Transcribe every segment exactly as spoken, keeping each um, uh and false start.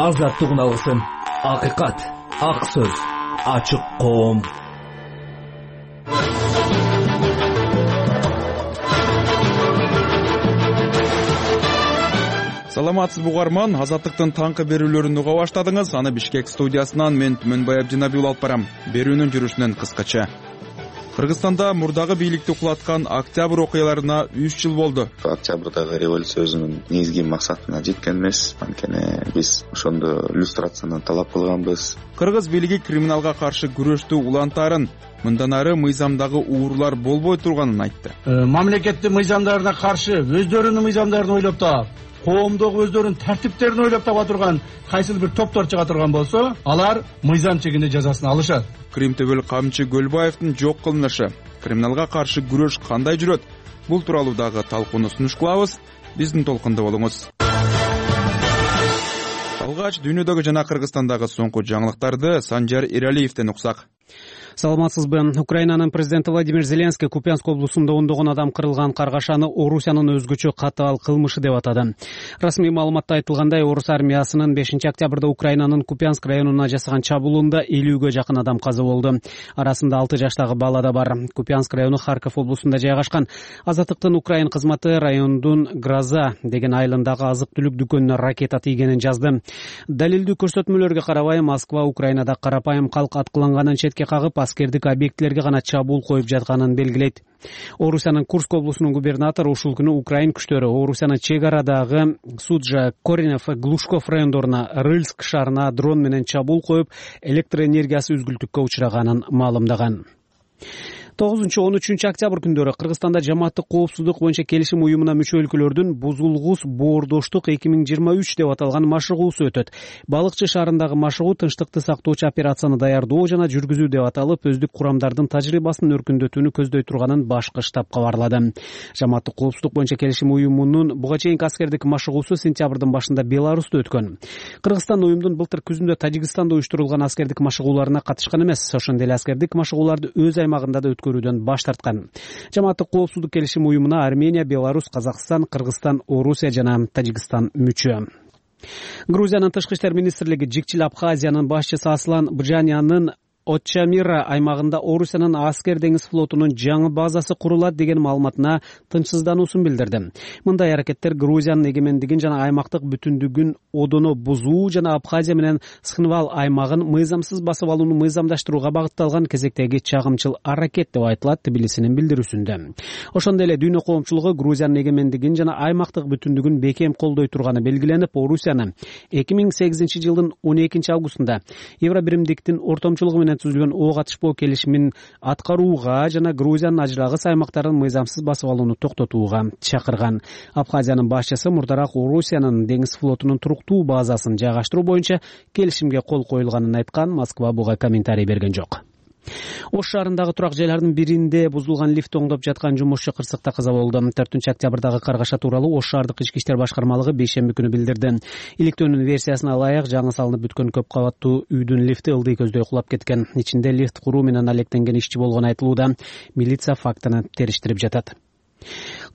азаттык алсын. Акыйкат, ак сөз, ачык коом. Саламатсыз бугарман, азаттыктын таңкы берүүлөрүн уга баштадыңыз. Аны Бишкек студиясынан мен Түмөнбай Абдинабиул алып барам. Берүүнүн жүрүшүнөн кыскача. Кыргызстанда мурдагы бийликти кулаткан октябрь окуяларына үч жыл болду. Октябрдагы революциянын негизги максатына жеткен эмес. Анткени биз ошондо иллюстрацияны талап кылганбыз. Кыргыз бийлиги криминалга каршы күрөштү улантаарын, мындан ары мыйзамдагы уурулар болбой турганын айтты. Мамлекеттин мыйзамдарына каршы өздөрүнүн мыйзамдарын ойлоп таап, коомдогу өздөрүнүн тартиптерин ойлоп таба турган кайсыл бир топтор чыга турган болсо, алар мыйзам чегинде жазасын алышат. Кримтөбөл камчы Көлбаевдин жок кылынышы, криминалга каршы күрөш кандай жүрөт? Бул тууралуу дагы талкууну сунуш кылабыз. Биздин толкунда болуңуз. Алгач дүйнөдөгү жана Кыргызстандагы соңку жаңылыктарды Санжар Эралиевден уксак. Саламатсызбы. Украинанын президенти Владимир Зеленский Купянск облусунда ондогон адам кырылган каргашаны Орусиянын өзгөчө катаал кылмышы деп атады. Расмий маалыматта айтылгандай, Орус армиясынын бешинчи октябрда Украинанын Купянск районуна жасаган чабуулунда элүүгө жакын адам каза болду. Арасында алты жаштагы бала да бар. Купянск району Харьков облусунда жайгашкан. Азаттыктын Украин кызматы райондун Гроза деген айылындагы азык-түлүк дүкөнүнө ракета тийгенин жазды. Далилдүү көрсөтмөлөргө карабай, Москва Украинада карапайым калк аткыланганын четке кагып, аскердик объектилерге гана чабуул коюп жатканын белгилейт. Орусиянын Курск облусунун губернатору ушул күнү Украин күчтөрү Орусиянын чек арадагы Суджа, Коренев, Глушков райондоруна, Рыльск шаарына дрон менен чабуул коюп, электр энергиясы үзгүлтүккө учраганын маалымдаган. тогузунчу он үчүнчү октябрь күндөрү Кыргызстанда жамааттык коопсуздук боюнча келишим уюмуна мүчө өлкөлөрдүн бузулгус боордоштук эки миң жыйырма үч деп аталган машыгуусу өтөт. Балыкчы шаарындагы машыгуу тынчтыкты сактоочу операцияны даярдоо жана жүргүзүү деп аталып, өздүк курамдардын тажрыйбасын өркүндөтүүнү көздөй турганын башкы штаб кабарлады. Жамааттык коопсуздук боюнча келишим уюмунун буга чейинки аскердик машыгуусу сентябрдын башында Беларусьта өткөн. Кыргызстан уюмдун былтыр күзүндө Тажикстанда уюштурулган аскердик машыгууларына катышкан эмес. Ошондой эле аскердик машыгууларды өз аймагында да өткөрүүдөн баш тарткан. Жамааттык коопсуздук келишим уюмуна Армения, Беларусь, Казакстан, Кыргызстан, Орусия жана Тажикстан мүчө. Грузиянын тышкы иштер министрлиги Жикчил Абхазиянын башчысы Аслан Бжанянын Отчамира аймагында Орусиянын аскер деңиз флотунун жаңы базасы курулат деген маалыматына тынчсыздануусун билдирди. Мындай аракеттер Грузиянын эгемендигин жана аймактык бүтүндүгүн одоно бузуу жана Абхазия менен Схынвал аймагын мыйзамсыз басып алууну мыйзамдаштырууга багытталган кезектеги чагымчыл аракет деп айтылат Тбилисинин билдирүүсүндө. Ошондой эле дүйнө коомчулугу Грузиянын эгемендигин жана аймактык бүтүндүгүн бекем колдой турганы белгиленип, Орусияны эки миң сегизинчи жылдын он экинчи августунда Евробиримдиктин ортомчулугу менен түзүлгөн оо катышпоо келишимин аткарууга жана Грузиянын ажырагыс аймактарын мыйзамсыз басып алууну токтотууга чакырган. Абхазиянын башчысы мурдараак Орусиянын деңиз флотунун туруктуу базасын жайгаштыруу боюнча келишимге кол коюлганын айткан. Москва буга комментарий берген жок. Ош шаарындагы турак жайлардын биринде бузулган лифт оңдоп жаткан жумушчу кырсыкта каза болду. төртүнчү октябрдагы каргаша тууралуу Ош шаардык ички иштер башкармалыгы бейшемби күнү билдирди. Иликтөөнүн версиясына ылайык, жаңы салынып бүткөн көп кабаттуу үйдүн лифти ылдый көздөй кулап кеткен. Ичинде лифт куруу менен алектенген ишчи болгону айтылууда. Милиция фактыны териштирип жатат.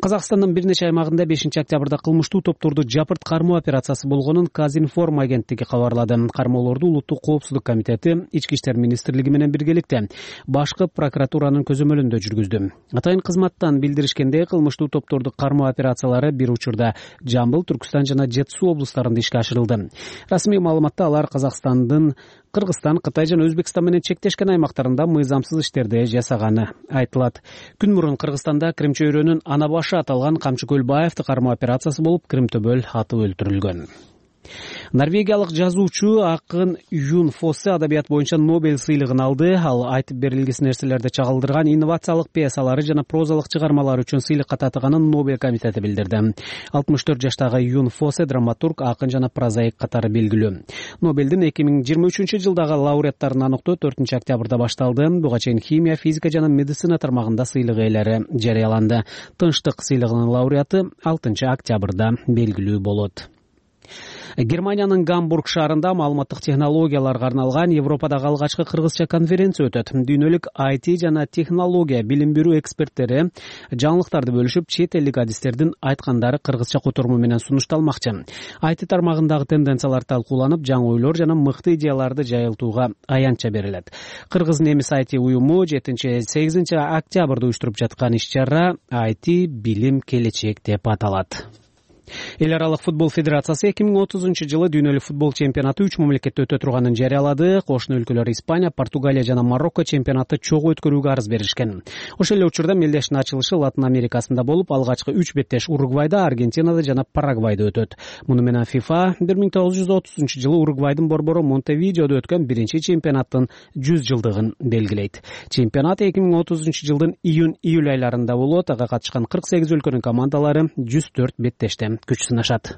Казакстандын бир нече аймагында бешинчи октябрда кылмыштуу топторду жапырт кармоо операциясы болгонун Казинформ агенттиги кабарлады. Кармоолорду Улуттук коопсуздук комитети Ички иштер министрлиги менен биргеликте башкы прокуратуранын көзөмөлүндө жүргүздү. Атайын кызматтан билдиришкендей, кылмыштуу топторду кармоо операциялары бир учурда Жамбыл, Түркүстан жана Жет Суу облустарында ишке ашырылды. Расмий маалыматта алар Казакстандын Кыргызстан, Кытай жана Өзбекстан менен чектешкен аймактарында мыйзамсыз иштерди жасаганы айтылат. Күн мурун Кыргызстанда Крим чөйрөнүн ана башы аталган Камчы Көлбаевди кармоо операциясы болуп, Кримтөбөл атып өлтүрүлгөн. Норвегиялык жазуучу акын Юн Фоссе адабият боюнча Нобель сыйлыгын алды. Ал айтып берилгис нерселерди чагылдырган инновациялык пьесалары жана прозалык чыгармалары үчүн сыйлыкка татыганын Нобель комитети билдирди. алтымыш төрт жаштагы Юн Фоссе драматург, акын жана прозаик катары белгилүү. Нобелдин эки миң жыйырма үчүнчү жылдагы лауреаттарын аныктоо төртүнчү октябрда башталды. Буга чейин химия, физика жана медицина тармагында сыйлык ээлери жарыяланды. Тынчтык сыйлыгынын лауреаты алтынчы октябрда белгилүү болот. Германиянын Гамбург шаарында маалыматтык технологияларга арналган Европадагы алгачкы кыргызча конференция өтөт. Дүйнөлүк ай ти жана технология билим берүү эксперттери жаңылыктарды бөлүшүп, чет элдик адистердин айткандары кыргызча которму менен сунушталмакчы. ай ти тармагындагы тенденциялар талкууланып, жаңы ойлор жана мыкты идеяларды жайылтууга аянтча берилет. Кыргыз немис ай ти уюму жетинчи сегизинчи октябрда уюштуруп жаткан иш-чара ай ти билим келечек деп аталат. Эл аралык футбол федерациясы эки миң отузунчу жылы дүйнөлүк футбол чемпионаты үч мамлекетте өтө турганын жарыялады. Кошуна өлкөлөр Испания, Португалия жана Марокко чемпионатты чогуу өткөрүүгө арыз беришкен. Ошол эле учурда мелдештин ачылышы Латын Америкасында болуп, алгачкы үч беттеш Уругвайда, Аргентинада жана Парагвайда өтөт. Муну менен FIFA бир миң тогуз жүз отузунчу жылы Уругвайдын борбору Монтевидеодо өткөн биринчи чемпионаттын жүз жылдыгын белгилейт. Чемпионат эки миң отузунчу жылдын июнь-июль айларында болот. Ага катышкан кырк сегиз өлкөнүн командалары жүз төрт беттеште күч сынашат.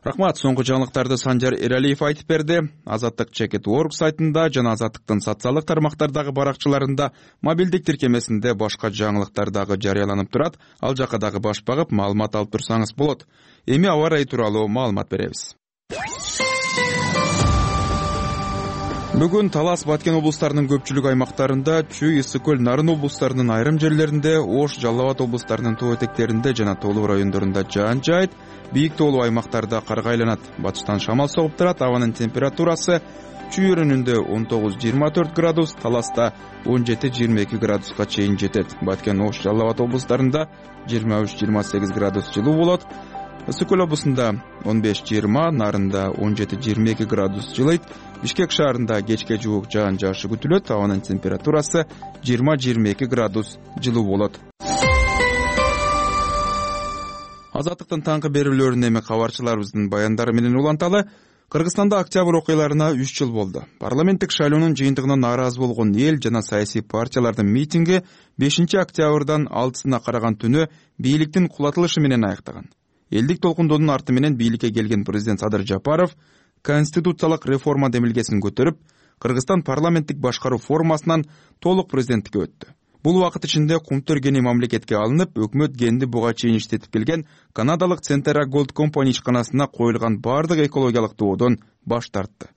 Рахмат. Соңку жаңылыктарды Санжар Эралиев айтып берди. Азаттык чекит точка орг сайтында жана Азаттыктын социалдык тармактардагы баракчаларында, мобилдик тиркемесинде башка жаңылыктар дагы жарыяланып турат. Ал жака дагы баш багып, маалымат алып турсаңыз болот. Эми аба ырайы тууралуу маалымат беребиз. Бүгүн Талас, Баткен облустарынын көпчүлүк аймактарында, Чүй, Ысык көл, Нарын облустарынын айрым жерлеринде, Ош, Жалал Абад облустарынын тоо этектеринде жана тоолуу райондорунда жаан жаайт. Бийик тоолуу аймактарда карга айланат. Батыштан шамал согуп турат. Абанын температурасы Чүй өрүнүндө он тогуз жыйырма төрт градус, Таласта он жети жыйырма эки градуска чейин жетет. Баткен, Ош, Жалал Абад облустарында жыйырма үч жыйырма сегиз градус жылуу болот. Ысык көл облусунда он беш жыйырма, Нарында он жети жыйырма эки градус жылыйт. Бишкек шаарында кечке жуук жаан жаашы күтүлөт. Абанын температурасы жыйырма жыйырма эки градус жылуу болот. Азаттыктын таңкы берүүлөрүн эми кабарчыларыбыздын баяндары менен уланталы. Кыргызстанда октябрь окуяларына үч жыл болду. Парламенттик шайлоонун жыйынтыгынан нааразы болгон эл жана саясий партиялардын митинги бешинчи октябрдан алтысына караган түнү бийликтин кулатылышы менен аяктаган. Элдик толкундоонун арты менен бийликке келген президент Садыр Жапаров конституциялык реформа демилгесин көтөрүп, Кыргызстан парламенттик башкаруу формасынан толук президенттикке өттү. Бул убакыт ичинде Кумтөр гени мамлекетке алынып, өкмөт генди буга чейин иштетип келген канадалык Centera Gold Company ишканасына коюлган бардык экологиялык доодон баш тартты.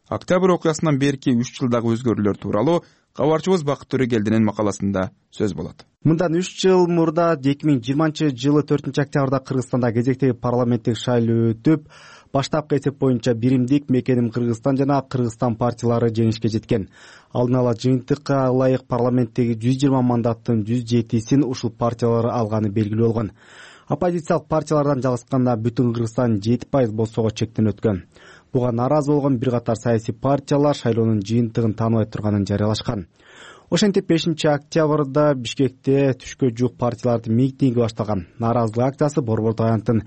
Октябрь окуясынан берки үч жылдагы өзгөрүүлөр тууралуу кабарчыбыз Бакыт Төрөгелдинин макаласында сөз болот. Мындан үч жыл мурда эки миң жыйырманчы жылы төртүнчү октябрда Кыргызстанда кезектеги парламенттик шайлоо өтүп, баштапкы эсеп боюнча биримдик Мекеним Кыргызстан жана Кыргызстан партиялары жеңишке жеткен. Алдын ала жыйынтыкка ылайык парламенттеги жүз жыйырма мандаттын жүз жетисин ушул партиялар алганы белгилүү болгон. Оппозициялык партиялардан жалгышканда бүтүн Кыргызстан жети пайыз болсого чектен өткөн. Буга нааразы болгон бир катар саясий партиялар шайлоонун жыйынтыгын тааныбай турганын жарыялашкан. Ошентип бешинчи октябрда Бишкекте түшкө жуук партиялардын митинги башталган. Нааразылык акциясы Борбор аянттын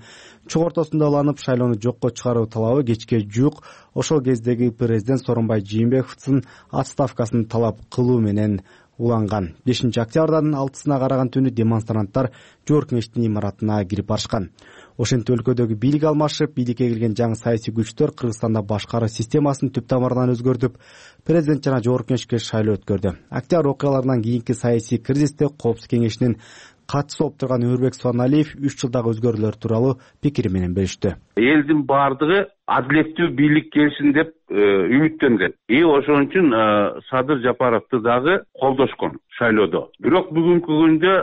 чогортосунда уланып, шайлоону жокко чыгаруу талабы кечке жуук ошол кездеги президент Сооронбай Жээнбековдун отставкасын талап кылуу менен уланган. бешинчи октябрдын алтысына караган түнү демонстранттар Жогорку Кеңештин имаратына кирип барышкан. Ошентип өлкөдөгү бийлик алмашып, бийликке келген жаңы саясий күчтөр Кыргызстанда башкаруу системасын түп тамырынан өзгөртүп, президент жана Жогорку Кеңешке шайлоо өткөрдү. Октябрь окуяларынан кийинки саясий кризисте Коопсуздук Кеңешинин катчысы болуп турган Өрбек Суаналиев үч жылдагы өзгөрүүлөр тууралуу пикири менен бөлүштү. Элдин бардыгы адилеттүү бийлик келсин деп үмүттөнгөн. И ошон үчүн Садыр Жапаровду дагы колдошкон шайлоодо. Бирок бүгүнкү күндө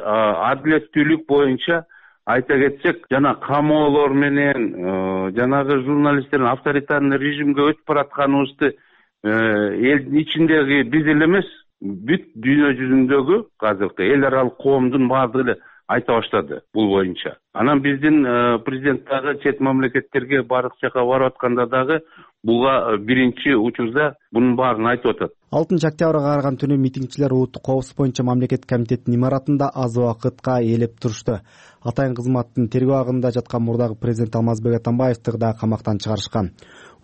адилеттүүлүк боюнча айта кетсек, жана камоолор менен жанагы журналисттердин авторитарный режимге өтүп баратканыбызды элдин ичиндеги биз эле эмес, бүт дүйнө жүзүндөгү азыркы эл аралык коомдун баардыгы эле айта баштады бул боюнча. Анан биздин президент дагы чет мамлекеттерге барык жака барып атканда дагы буга биринчи учурда бунун баарын айтып атат. алтынчы октябрга караган түнү митингчилер улуттук коопсуздук боюнча мамлекет комитетинин имаратында аз убакытка ээлеп турушту. Атайын кызматтын тергөө агында жаткан мурдагы президент Алмазбек Атамбаевди дагы камактан чыгарышкан.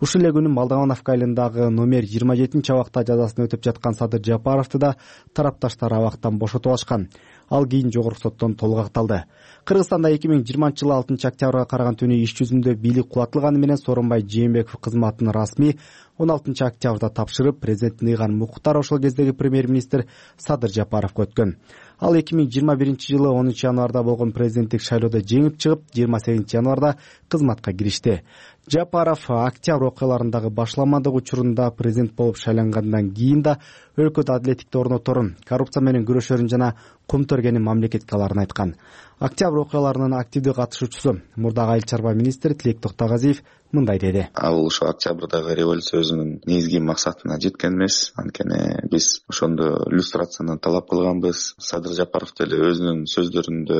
Ушул эле күнү Молдовановка айылындагы номер жыйырма жетинчи абакта жазасын өтүп жаткан Садыр Жапаровду да тарапташтар абактан бошотуп алышкан. Ал кийин жогорку соттон толук акталды. Кыргызстанда эки миң жыйырманчы жылы алтынчы октябрга караган түнү иш жүзүндө бийлик кулатылганы менен Сооронбай Жээнбеков кызматын расмий он алтынчы октябрда тапшырып, президенттин ыйган Муктар ошол кездеги премьер-министр Садыр Жапаровго өткөн. Ал эки миң жыйырма биринчи жылы онунчу январда болгон президенттик шайлоодо жеңип чыгып, жыйырма сегизинчи январда кызматка киришти. Жапаров октябрь окуяларындагы башламандык учурунда президент болуп шайлангандан кийин да өлкөдө адилеттикти орноторун, коррупция менен күрөшөрүн жана кум төргенин мамлекетке аларын айткан. Октябрь окуяларынын активдүү катышуучусу мурдагы айыл чарба министри Тилек Токтогазиев мындай деди. Ал ошо октябрдагы революциябыздын негизги максатына жеткен эмес. Анткени биз ошондо люстрацияны талап кылганбыз. Садыр Жапаров деле өзүнүн сөздөрүндө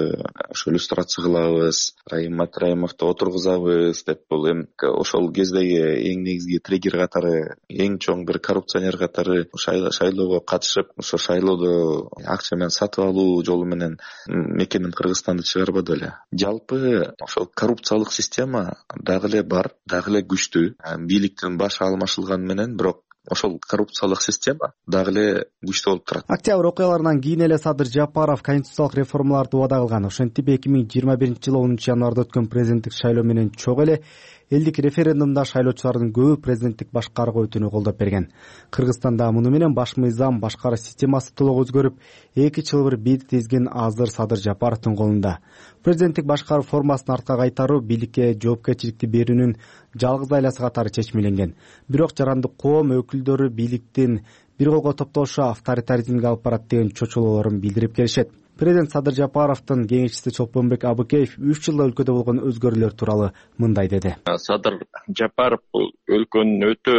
ошо люстрация кылабыз, Райым Матраимовду отургузабыз деп, бул эми ошол кездеги эң негизги триггер катары, эң чоң бир коррупционер катары шайлоого катышып, ошо шайлоодо акча менен сатып алуу жолу менен мекеним Кыргызстанды чыгарбады эле. Жалпы ошол коррупциялык система дагы эле бар, дагы эле күчтүү. Бийликтин башы алмашылганы менен, бирок ошол коррупциялык система дагы эле күчтүү болуп турат. Октябрь окуяларынан кийин эле Садыр Жапаров конституциялык реформаларды убада кылган. Ошентип эки миң жыйырма биринчи жылы онунчу январда өткөн президенттик шайлоо менен чогуу эле элдик референдумда шайлоочулардын көбү президенттик башкарууга өтүүнү колдоп берген. Кыргызстанда муну менен баш мыйзам, башкаруу системасы толук өзгөрүп, эки чылбыр бийик тизгин азыр Садыр Жапаровдун колунда. Президенттик башкаруу формасын артка кайтаруу бийликке жоопкерчиликти берүүнүн жалгыз айласы катары чечмеленген. Бирок жарандык коом өкүлдөрү бийликтин бир колго топтошу авторитаризмге алып барат деген чочулоолорун билдирип келишет. Президент Садыр Жапаровдун кеңешчиси Чолпонбек Абыкеев үч жылда өлкөдө болгон өзгөрүүлөр тууралуу мындай деди. Садыр Жапаров бул өлкөнүн өтө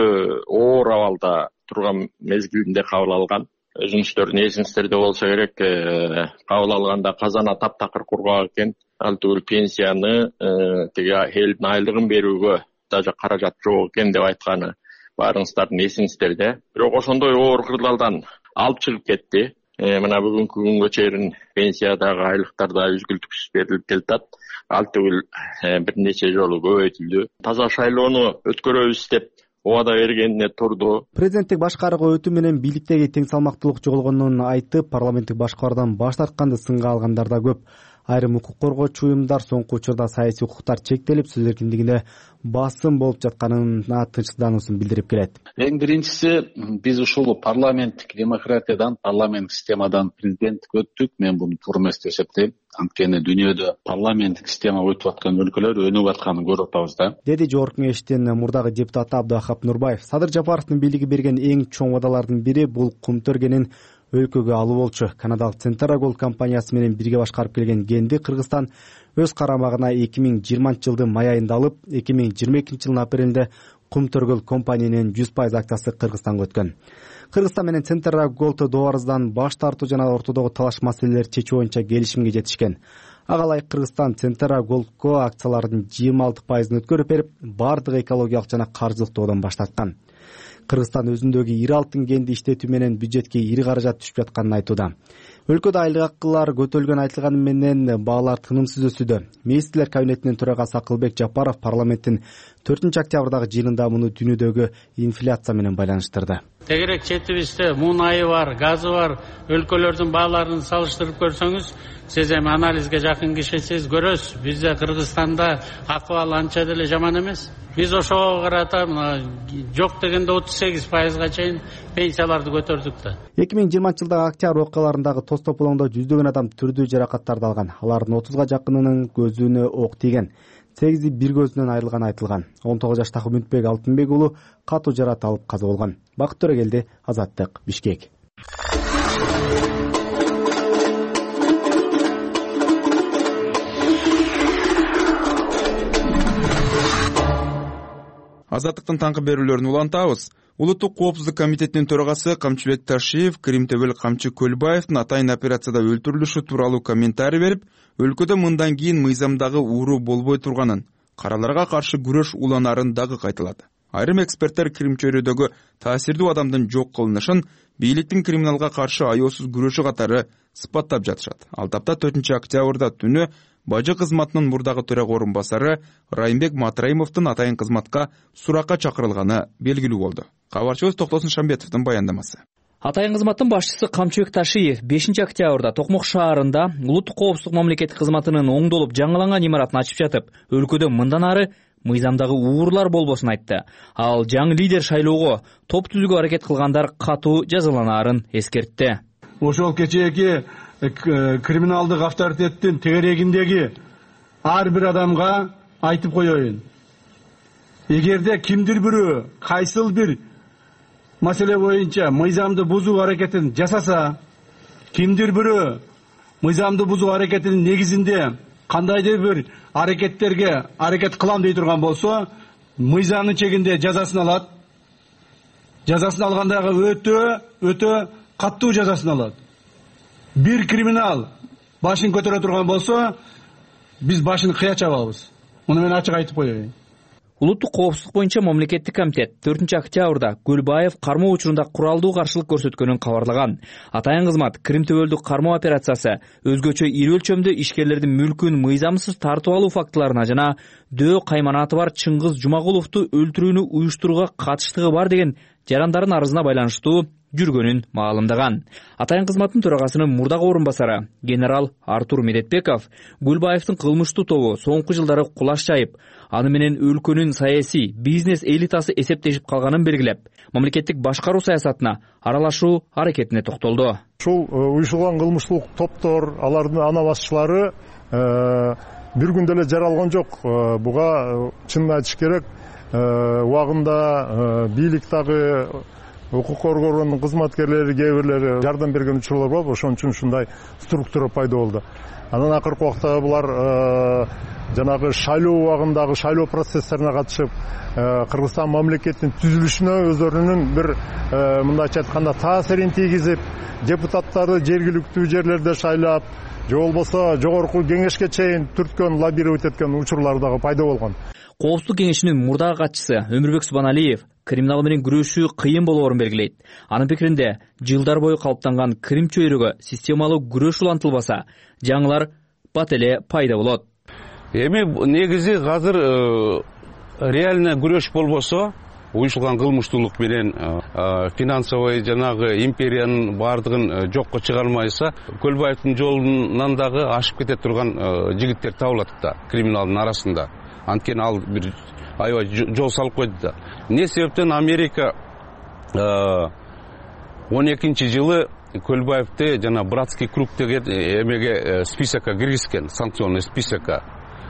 оор абалда турган мезгилинде кабыл алган. Өзүңүздөрдүн эсиңиздерде болсо керек, кабыл алганда казана таптакыр кургак экен. Ал түгүл пенсияны, тиги элдин айлыгын берүүгө даже каражат жок экен деп айтканы баарыңыздардын эсиңиздерде. Бирок ошондой оор кырдаалдан алып чыгып кетти. Мына бүгүнкү күнгө чейин пенсиядагы айлыктар да үзгүлтүксүз берилип келатат. Ал түгүл бир нече жолу көбөйтүлдү. Таза шайлоону өткөрөбүз деп убада бергенине турду. Президенттик башкарууга өтүү менен бийликтеги тең салмактуулук жоголгонун айтып, парламенттик башкаруудан баш тартканды сынга алгандар да көп. Айрым укук коргоочу уюмдар соңку учурда саясий укуктар чектелип, сөз эркиндигине басым болуп жатканына тынчсыздануусун билдирип келет. Эң биринчиси, биз ушул парламенттик демократиядан, парламенттик системадан президенттик өттүк. Мен буну туура эмес деп эсептейм. Анткени дүйнөдө парламенттик система өтүп аткан өлкөлөр өнүгүп атканын көрүп атабыз да. Деди Жогорку Кеңештин мурдагы депутаты Абдыахап Нурбаев. Садыр Жапаровдун бийлиги берген эң чоң убадалардын бири бул кум төргенин өлкөгө алуу болчу. Канадалык Centara Gold компаниясы менен бирге башкарып келген Генди Кыргызстан өз карамагына эки миң жыйырманчы жылдын май айында алып, эки миң жыйырма экинчи жылдын апрелинде Кум Төргөл компаниянын жүз пайыз акциясы Кыргызстанга өткөн. Кыргызстан менен Centara Gold дооруздан баш тартуу жана ортодогу талаш маселелерди чечүү боюнча келишимге жетишкен. Ага ылайык Кыргызстан Centara Goldко акциялардын жыйырма алты пайызын өткөрүп берип, бардык экологиялык жана каржылык доодон баш тарткан. Кыргызстан өзүндөгү ири алтын кенди иштетүү менен бюджетке ири каражат түшүп жатканын айтууда. Өлкөдө айлык акылар көтөрүлгөн айтылганы менен баалар тынымсыз өсүүдө. Министрлер кабинетинин төрагасы Акылбек Жапаров парламенттин төртүнчү октябрдагы жыйынында муну дүйнөдөгү инфляция менен байланыштырды. Тегерек четибизде мунайы бар, газы бар өлкөлөрдүн бааларын салыштырып көрсөңүз, сиз эми анализге жакын кишисиз, көрөсүз. Бизде Кыргызстанда акыбал анча деле жаман эмес. Биз ошого карата жок дегенде отуз сегиз пайызга чейин пенсияларды көтөрдүк да. эки миң жыйырманчы жылдагы октябрь окуяларындагы тоз тополоңдо жүздөгөн адам түрдүү жаракаттарды алган. Алардын отузга жакынынын көзүнө ок тийген. сегизи бир көзүнөн айрылганы айтылган. он тогуз жаштагы Үмүтбек Алтынбек уулу катуу жарат алып каза болгон. Бакыт Төрөгелди, Азаттык, Бишкек. Азаттыктын таңкы берүүлөрүн улантабыз. Улуттук коопсуздук комитетинин төрагасы Камчыбек Ташиев Крим Төбөл Камчы Көлбаевдин атайын операцияда өлтүрүлүшү тууралуу комментарий берип, өлкөдө мындан кийин мыйзамдагы ууруу болбой турганын, караларга каршы күрөш уланарын дагы кайталады. Айрым эксперттер Крим чөйрөдөгү таасирдүү адамдын жок кылынышын бийликтин криминалга каршы аяосуз күрөшү катары сыпаттап жатышат. Ал тапта төртүнчү октябрда түнү бажы кызматынын мурдагы төрага орун басары Райымбек Матраимовдун атайын кызматка суракка чакырылганы белгилүү болду. Кабарчыбыз Токтосун Шамбетовдун баяндамасы. Атайын кызматтын башчысы Камчыбек Ташиев бешинчи октябрда Токмок шаарында улуттук коопсуздук мамлекеттик кызматынын оңдолуп жаңыланган имаратын ачып жатып, өлкөдө мындан ары мыйзамдагы уурлар болбосун айтты. Ал жаңы лидер шайлоого топ түзүүгө аракет кылгандар катуу жазаланаарын эскертти. Ошол кечээки криминалдык авторитеттин тегерегиндеги ар бир адамга айтып коеюн. Эгерде кимдир бирөө кайсыл бир маселе боюнча мыйзамды бузуу аракетин жасаса, кимдир бирөө мыйзамды бузуу аракетинин негизинде кандайдыр бир аракеттерге аракет кылам дей турган болсо, мыйзамдын чегинде жазасын алат. Жазасын алгандагы өтө өтө каттуу жазасын алат. Бир криминал башын көтөрө турган болсо, биз башын кыя чабабыз. Муну мен ачык айтып коеюн. Улуттук коопсуздук боюнча мамлекеттик комитет төртүнчү октябрда Көлбаев кармоо учурунда куралдуу каршылык көрсөткөнүн кабарлаган. Атайын кызмат Крим төбөлдүк кармоо операциясы өзгөчө ири өлчөмдө ишкерлердин мүлкүн мыйзамсыз тартып алуу фактыларына жана Дөө кайманаты бар Чыңгыз Жумагуловду өлтүрүүнү уюштурууга катыштыгы бар деген жарандардын арызына байланыштуу жүргөнүн маалымдаган. Атайын кызматтын төрагасынын мурдагы орун басары генерал Артур Медетбеков Гүлбаевдин кылмыштуу тобу соңку жылдары кулаш жайып, аны менен өлкөнүн саясий бизнес элитасы эсептешип калганын белгилеп, мамлекеттик башкаруу саясатына аралашуу аракетине токтолду. Ушул уюшулган кылмыштуулук топтор, алардын ана басчылары бир күндө эле жаралган жок. Буга чынын айтыш керек, убагында бийлик дагы укук коргоонун кызматкерлери кээ бирлери жардам берген учурлар бар. Ошон үчүн ушундай структура пайда болду. Анан акыркы убакта булар жанагы шайлоо убагындагы шайлоо процесстерине катышып, Кыргызстан мамлекетинин түзүлүшүнө өздөрүнүн бир мындайча айтканда таасирин тийгизип, депутаттарды жергиликтүү жерлерде шайлап, же болбосо жогорку кеңешке чейин түрткөн, лоббировать эткен учурлар дагы пайда болгон. Коопсуздук кеңешинин мурдагы катчысы Өмүрбек Субаналиев криминал менен күрөшүү кыйын болоорун белгилейт. Анын пикиринде, жылдар бою калыптанган Крим чөйрөгө системалуу күрөш улантылбаса, жаңылар бат эле пайда болот. Эми негизи азыр реально күрөш болбосо, уюшулган кылмыштуулук менен финансовый жанагы империянын бардыгын жокко чыгармайса, Көлбаевдин жолунан дагы ашып кете турган жигиттер табылат да криминалдын арасында. Анткени ал бир аябай жол салып койду да. Эмне себептен Америка он экинчи жылы Көлбаевди жана братский круг деген эмеге списокко киргизген, санкционный списокко.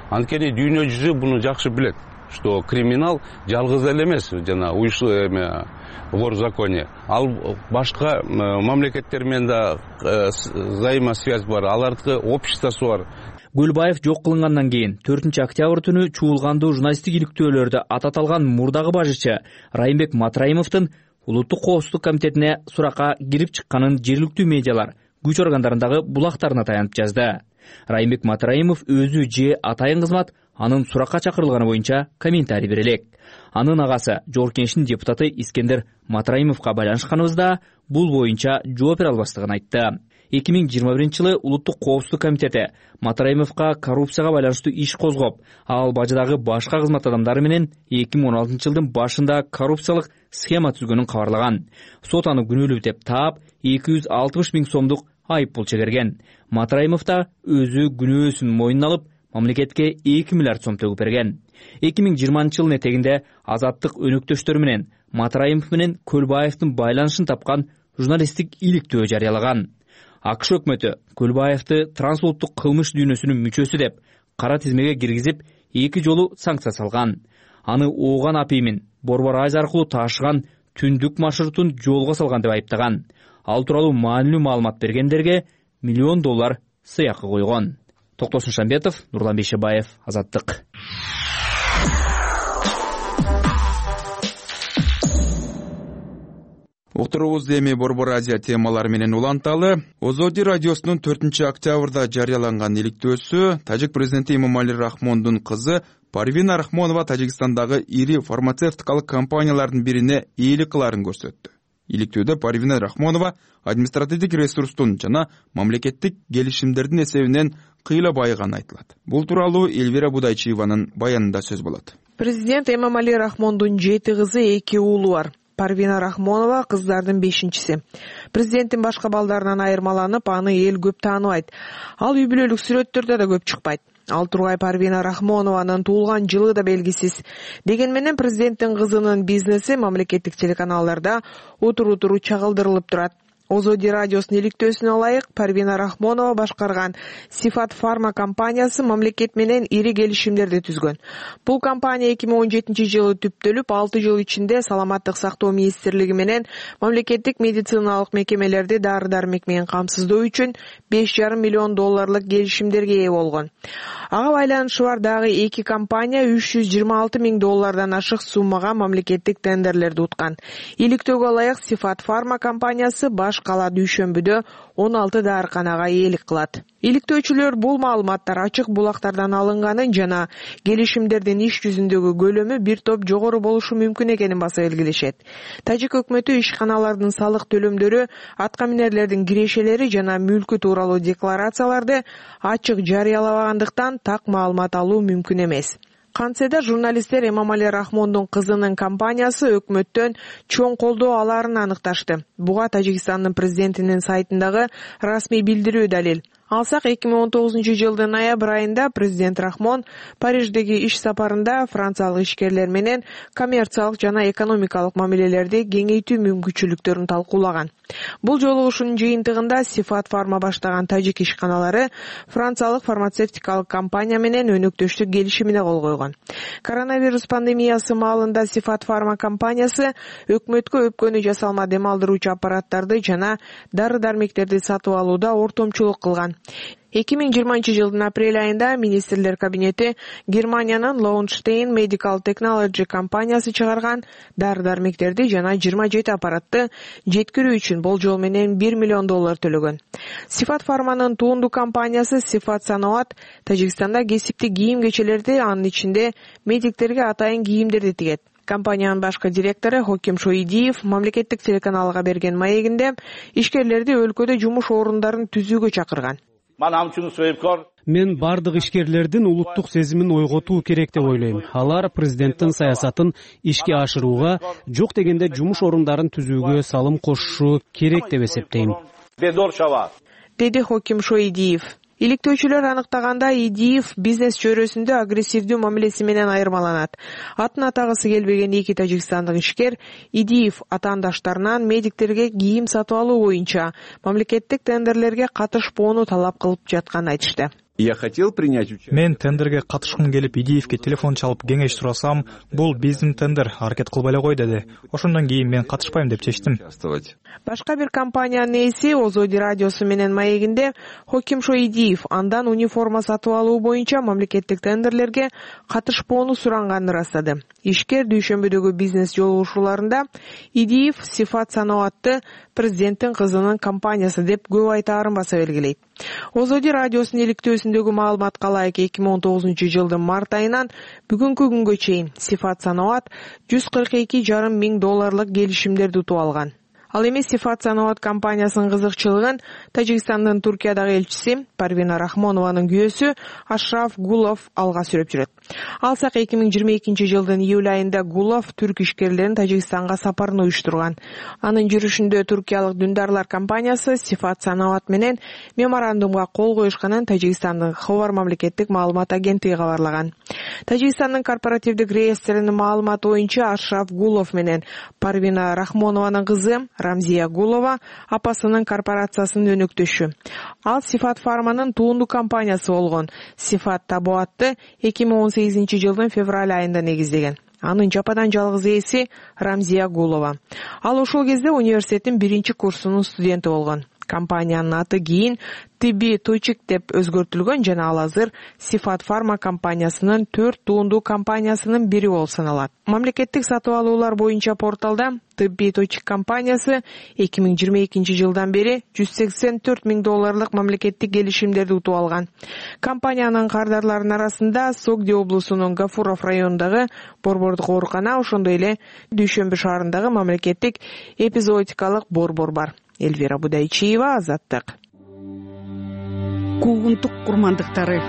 Анткени дүйнө жүзү буну жакшы билет, что криминал жалгыз эле эмес, жана уюшу эме горзаконе. Ал башка мамлекеттер менен да взаимосвязь бар, алардын обществосу бар. Гүлбаев жок кылынгандан кийин төртүнчү октябрь түнү чуулгандуу журналисттик иликтөөлөрдө ататалган мурдагы башчы Райымбек Матраимовдун Улуттук коопсуздук комитетине суракка кирип чыкканын жергиликтүү медиалар күч органдарындагы булактарына таянып жазды. Райымбек Матраимов өзү же атайын кызмат анын суракка чакырылганы боюнча комментарий бере элек. Анын агасы Жогорку Кеңештин депутаты Искендер Матраимовго байланышканыбызда бул боюнча жооп бере албастыгын айтты. эки миң жыйырма биринчи жылы Улуттук коопсуздук комитети Матраимовго коррупцияга байланыштуу иш козгоп, ал бажыдагы башка кызмат адамдары менен эки миң он алтынчы жылдын башында коррупциялык схема түзгөнүн кабарлаган. Сот аны күнөөлүү деп таап, эки жүз алтымыш миң сомдук айып пул чегерген. Матраимов да өзү күнөөсүн мойнуна алып, мамлекетке эки миллиард сом төгүп берген. эки миң жыйырманчы жылдын этегинде Азаттык өнөктөштөрү менен Матраимов менен Көлбаевдин байланышын тапкан журналисттик иликтөө жарыялаган. АКШ өкмөтү Көлбаевди трансулуттук кылмыш дүйнөсүнүн мүчөсү деп кара тизмеге киргизип, эки жолу санкция салган. Аны ооган апиймин Борбор Азия аркылуу ташыган түндүк маршрутун жолго салган деп айыптаган. Ал тууралуу маанилүү маалымат бергендерге миллион доллар сыйакы койгон. Токтосун Шамбетов, Нурлан Бейшебаев, Азаттык. Уктурубузду эми Борбор Азия темалары менен уланталы. Озоди радиосунун төртүнчү октябрда жарыяланган иликтөөсү тажик президенти Эмомали Рахмондун кызы Парвина Рахмонова Тажикстандагы ири фармацевтикалык компаниялардын бирине ээлик кылаарын көрсөттү. Иликтөөдө Парвина Рахмонова административдик ресурстун жана мамлекеттик келишимдердин эсебинен кыйла байыганы айтылат. Бул тууралуу Элвира Будайчиеванын баянында сөз болот. Президент Эмомали Рахмондун жети кызы, эки уулу бар. Парвина Рахмонова кыздардын бешинчиси. Президенттин башка балдарынан айырмаланып, аны эл көп тааныбайт. Ал үй бүлөлүк сүрөттөрдө да көп чыкпайт. Ал тургай Парвина Рахмонованын туулган жылы да белгисиз. Деген менен президенттин кызынын бизнеси мамлекеттик телеканалдарда утуру-утуру чагылдырылып турат. Озоди радиосунун иликтөөсүнө ылайык Парвина Рахмонова башкарган Сифат фарма компаниясы мамлекет менен ири келишимдерди түзгөн. Бул компания эки миң он жетинчи жылы түптөлүп, алты жыл ичинде Саламаттык сактоо министрлиги менен мамлекеттик медициналык мекемелерди дары-дармек менен камсыздоо үчүн беш жарым миллион долларлык келишимдерге ээ болгон. Ага байланышы бар дагы эки компания үч жүз жыйырма алты миң доллардан ашык суммага мамлекеттик тендерлерди уткан. Иликтөөгө ылайык Сифат фарма компаниясы баш кала Дүйшөмбүдө он алты дарыканага ээлик кылат. Иликтөөчүлөр бул маалыматтар ачык булактардан алынганын жана келишимдердин иш жүзүндөгү көлөмү бир топ жогору болушу мүмкүн экенин баса белгилешет. Тажик өкмөтү ишканалардын салык төлөмдөрү, аткаминерлердин кирешелери жана мүлкү тууралуу декларацияларды ачык жарыялабагандыктан так маалымат алуу мүмкүн эмес. Кантсе да журналисттер Эмомали Рахмондун кызынын компаниясы өкмөттөн чоң колдоо алаарын аныкташты. Буга Тажикстандын президентинин сайтындагы расмий билдирүү далил. Алсак, эки миң он тогузунчу жылдын ноябрь айында президент Рахмон Париждеги иш сапарында франциялык ишкерлер менен коммерциялык жана экономикалык мамилелерди кеңейтүү мүмкүнчүлүктөрүн талкуулаган. Бул жолугушуунун жыйынтыгында Сифат фарма баштаган тажик ишканалары франциялык фармацевтикалык компания менен өнөктөштүк келишимине кол койгон. Коронавирус пандемиясы маалында Сифат фарма компаниясы өкмөткө өпкөнү жасалма дем алдыруучу аппараттарды жана дары-дармектерди сатып алууда ортомчулук кылган. эки миң жыйырманчы жылдын апрель айында министрлер кабинети Германиянын Lowenstein Medical Technology компаниясы чыгарган дары-дармектерди жана жыйырма жети аппаратты жеткирүү үчүн болжол менен бир миллион доллар төлөгөн. Сифат фарманын туунду компаниясы Сифат Саноат Тажикстанда кесиптик кийим-кечелерди, анын ичинде медиктерге атайын кийимдерди тигет. Компаниянын башкы директору Хоким Шоидиев мамлекеттик телеканалга берген маегинде ишкерлерди өлкөдө жумуш орундарын түзүүгө чакырган. Мен бардык ишкерлердин улуттук сезимин ойготуу керек деп ойлойм. Алар президенттин саясатын ишке ашырууга, жок дегенде жумуш орундарын түзүүгө салым кошушу керек деп эсептейм, деди Хоким Шоидиев. Иликтөөчүлөр аныктаганда Идиев бизнес чөйрөсүндө агрессивдүү мамилеси менен айырмаланат. Атын атагысы келбеген эки тажикстандык ишкер Идиев атаандаштарынан медиктерге кийим сатып алуу боюнча мамлекеттик тендерлерге катышпоону талап кылып жатканын айтышты. Мен тендерге катышкым келип Идиевке телефон чалып кеңеш сурасам, бул биздин тендер, аракет кылбай эле кой деди. Ошондон кийин мен катышпайм деп чечтим. Башка бир компаниянын ээси Озоди радиосу менен маегинде Хоким Шоидиев андан униформа сатып алуу боюнча мамлекеттик тендерлерге катышпоону суранганын ырастады. Ишкер Дүйшөмбүдөгү бизнес жолугушууларында Идиев Сифат Саноатты президенттин кызынын компаниясы деп көп айтаарын баса белгилейт. Озоди радиосунун иликтөөсүндөгү маалыматка ылайык эки миң он тогузунчу жылдын март айынан бүгүнкү күнгө чейин Сифат Саноат жүз кырк эки жарым миң долларлык келишимдерди утуп алган. Ал эми Сифат Саноат компаниясынын кызыкчылыгын Тажикстандын Туркиядагы элчиси Парвина Рахмонованын күйөөсү Ашраф Гулов алга сүрөп жүрөт. Алсак, эки миң жыйырма экинчи жылдын июль айында Гулов түрк ишкерлерин Тажикстанга сапарын уюштурган. Анын жүрүшүндө туркиялык Dündарлар компаниясы Сифат Саноат менен меморандумга кол коюшканын Тажикстандын Хабар мамлекеттик маалымат агенттиги кабарлаган. Тажикстандын корпоративдик реестринин маалыматы боюнча Ашраф Гулов менен Парвина Рахмонованын кызы Рамзия Гулова апасынын корпорациясынын өнөктөшү. Ал Сифат фарманын туунду компаниясы болгон Сифат Табуатты эки миң он сегизинчи жылдын февраль айында негиздеген. Анын жападан жалгыз ээси Рамзия Гулова. Ал ошол кезде университеттин биринчи курсунун студенти болгон. Компаниянын аты кийин Тибби Точик деп өзгөртүлгөн жана ал азыр Сифат фарма компаниясынын төрт туунду компаниясынын бири болуп саналат. Мамлекеттик сатып алуулар боюнча порталда Тибби Точик компаниясы эки миң жыйырма экинчи жылдан бери жүз сексен төрт миң долларлык мамлекеттик келишимдерди утуп алган. Компаниянын кардарларынын арасында Согди облусунун Гафуров районундагы борбордук оорукана, ошондой эле Дүйшөмбү шаарындагы мамлекеттик эпизоотикалык борбор бар. Эльвира Будайчиева, Азаттык. Куугунтук курмандыктары.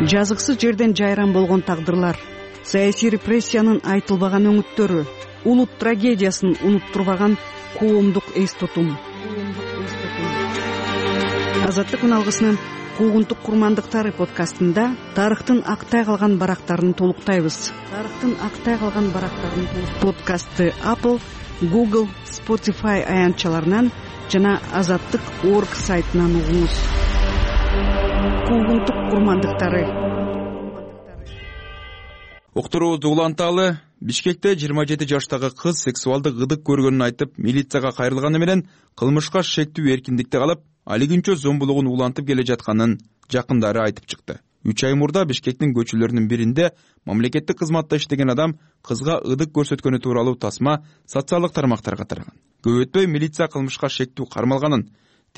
Жазыксыз жерден жайран болгон тагдырлар, саясий репрессиянын айтылбаган өңүттөрү, улут трагедиясын унуттурбаган коомдук эс тутум. Азаттык үналгысынын Куугунтук курмандыктары подкастында тарыхтын актай калган барактарын толуктайбыз. Тарыхтын актай калган барактарын подкастты Apple, Google, Spotify аянтчаларынан жана азаттык точка орг сайтынан угуңуз. Куугунтук курмандыктары. Уктуруубузду уланталы. Бишкекте жыйырма жети жаштагы кыз сексуалдык ыдык көргөнүн айтып, милицияга кайрылганы менен кылмышка шектүү эркиндикте калып, алигинчө зомбулугун улантып келе жатканын жакындары айтып чыкты. Үч ай мурда Бишкектин көчөлөрүнүн биринде мамлекеттик кызматта иштеген адам кызга ыдык көрсөткөнү тууралуу тасма социалдык тармактарга тараган. Көп өтпөй милиция кылмышка шектүү кармалганын,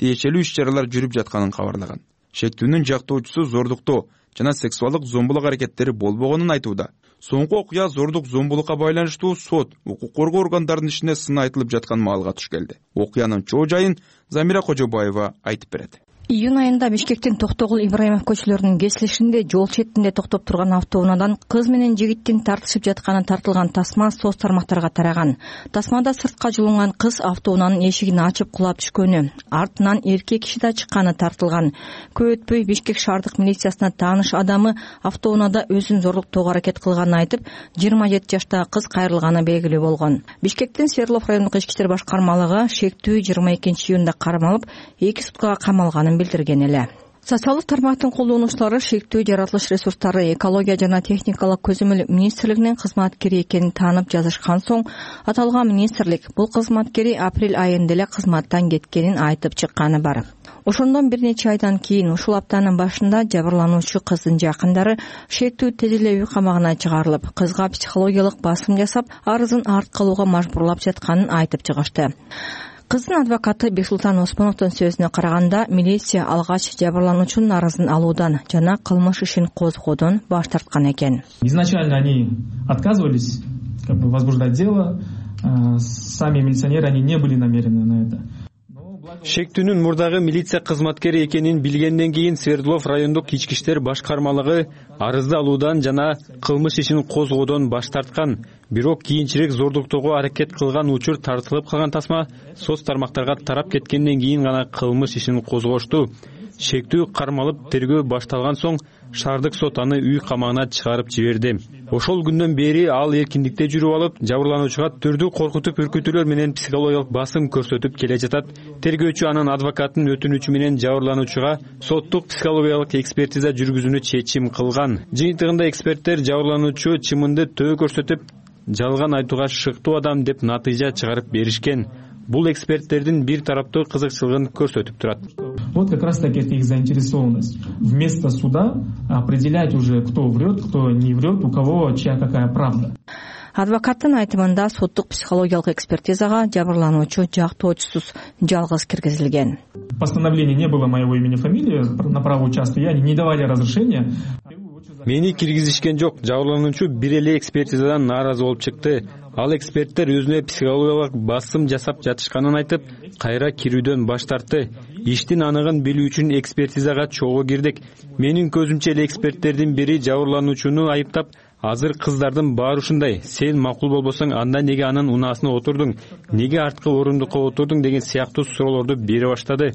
тиешелүү иш-чаралар жүрүп жатканын кабарлаган. Шектүүнүн жактоочусу зордуктоо жана сексуалдык зомбулук аракеттери болбогонун айтууда. Соңку окуя зордук зомбулукка байланыштуу сот, укук коргоо органдарынын ишине сын айтылып жаткан маалга туш келди. Окуянын чоо жайын Замира Кожобаева айтып берет. Июнь айында Бишкектин Токтогул Ибраимов көчөлөрүнүн кесилишинде жол четинде токтоп турган автоунаадан кыз менен жигиттин тартышып жатканы тартылган тасма соц тармактарга тараган. Тасмада сыртка жулунган кыз автоунаанын эшигин ачып кулап түшкөнү, артынан эркек киши да чыкканы тартылган. Көп өтпөй Бишкек шаардык милициясына тааныш адамы автоунаада өзүн зорлуктоого аракет кылганын айтып, жыйырма жети жаштагы кыз кайрылганы белгилүү болгон. Бишкектин Свердлов райондук ички иштер башкармалыгы шектүү жыйырма экинчи июнда кармалып, эки суткага камалганын билдирген эле. Социалдык тармактын колдонуучулары шектүү жаратылыш ресурстары экология жана техникалык көзөмөл министрлигинин кызматкери экенин таанып жазышкан соң, аталган министрлик бул кызматкери апрель айында эле кызматтан кеткенин айтып чыкканы бар. Ошондон бир нече айдан кийин ушул аптанын башында жабырлануучу кыздын жакындары шектүү тез эле үй камагына чыгарылып, кызга психологиялык басым жасап, арызын артка алууга мажбурлап жатканын айтып чыгышты. Кыздын адвокаты Бексултан Осмоновдун сөзүнө караганда, милиция алгач жабырлануучунун арызын алуудан жана кылмыш ишин козгоодон баш тарткан экен. Изначально они отказывались как бы возбуждать дело, сами милиционеры они не были намерены на это. Шектүүнүн мурдагы милиция кызматкери экенин билгенден кийин Свердлов райондук ички иштер башкармалыгы арызды алуудан жана кылмыш ишин козгоодон баш тарткан. Бирок кийинчерээк зордуктоого аракет кылган учур тартылып калган тасма соц тармактарга тарап кеткенден кийин гана кылмыш ишин козгошту. Шектүү кармалып тергөө башталган соң шаардык сот аны үй камагына чыгарып жиберди. Ошол күндөн бери ал эркиндикте жүрүп алып, жабырлануучуга түрдүү коркутуп үркүтүүлөр менен психологиялык басым көрсөтүп келе жатат. Тергөөчү анын адвокатынын өтүнүчү менен жабырлануучуга соттук психологиялык экспертиза жүргүзүүнү чечим кылган. Жыйынтыгында эксперттер жабырлануучу чымынды төө көрсөтүп, жалган айтууга шыктуу адам деп натыйжа чыгарып беришкен. Бул эксперттердин бир тараптуу кызыкчылыгын көрсөтүп турат. Вот как раз таки это их заинтересованность. Вместо суда определять уже, кто врет, кто не врет, у кого чья какая правда. Адвокаттын айтымында соттук психологиялык экспертизага жабырлануучу жактоочусуз жалгыз киргизилген. Постановление не было моего имени, фамилии на право участия, они не давали разрешения. Мени киргизишкен жок. Жабырлануучу бир эле экспертизадан нааразы болуп чыкты. Ал эксперттер өзүнө психологиялык басым жасап жатышканын айтып, кайра кирүүдөн баш тартты. Иштин аныгын билүү үчүн экспертизага чогуу кирдик. Менин көзүмчө эле эксперттердин бири жабырлануучуну айыптап, азыр кыздардын баары ушундай, сен макул болбосоң анда неге анын унаасына отурдуң, неге арткы орундукка отурдуң деген сыяктуу суроолорду бере баштады.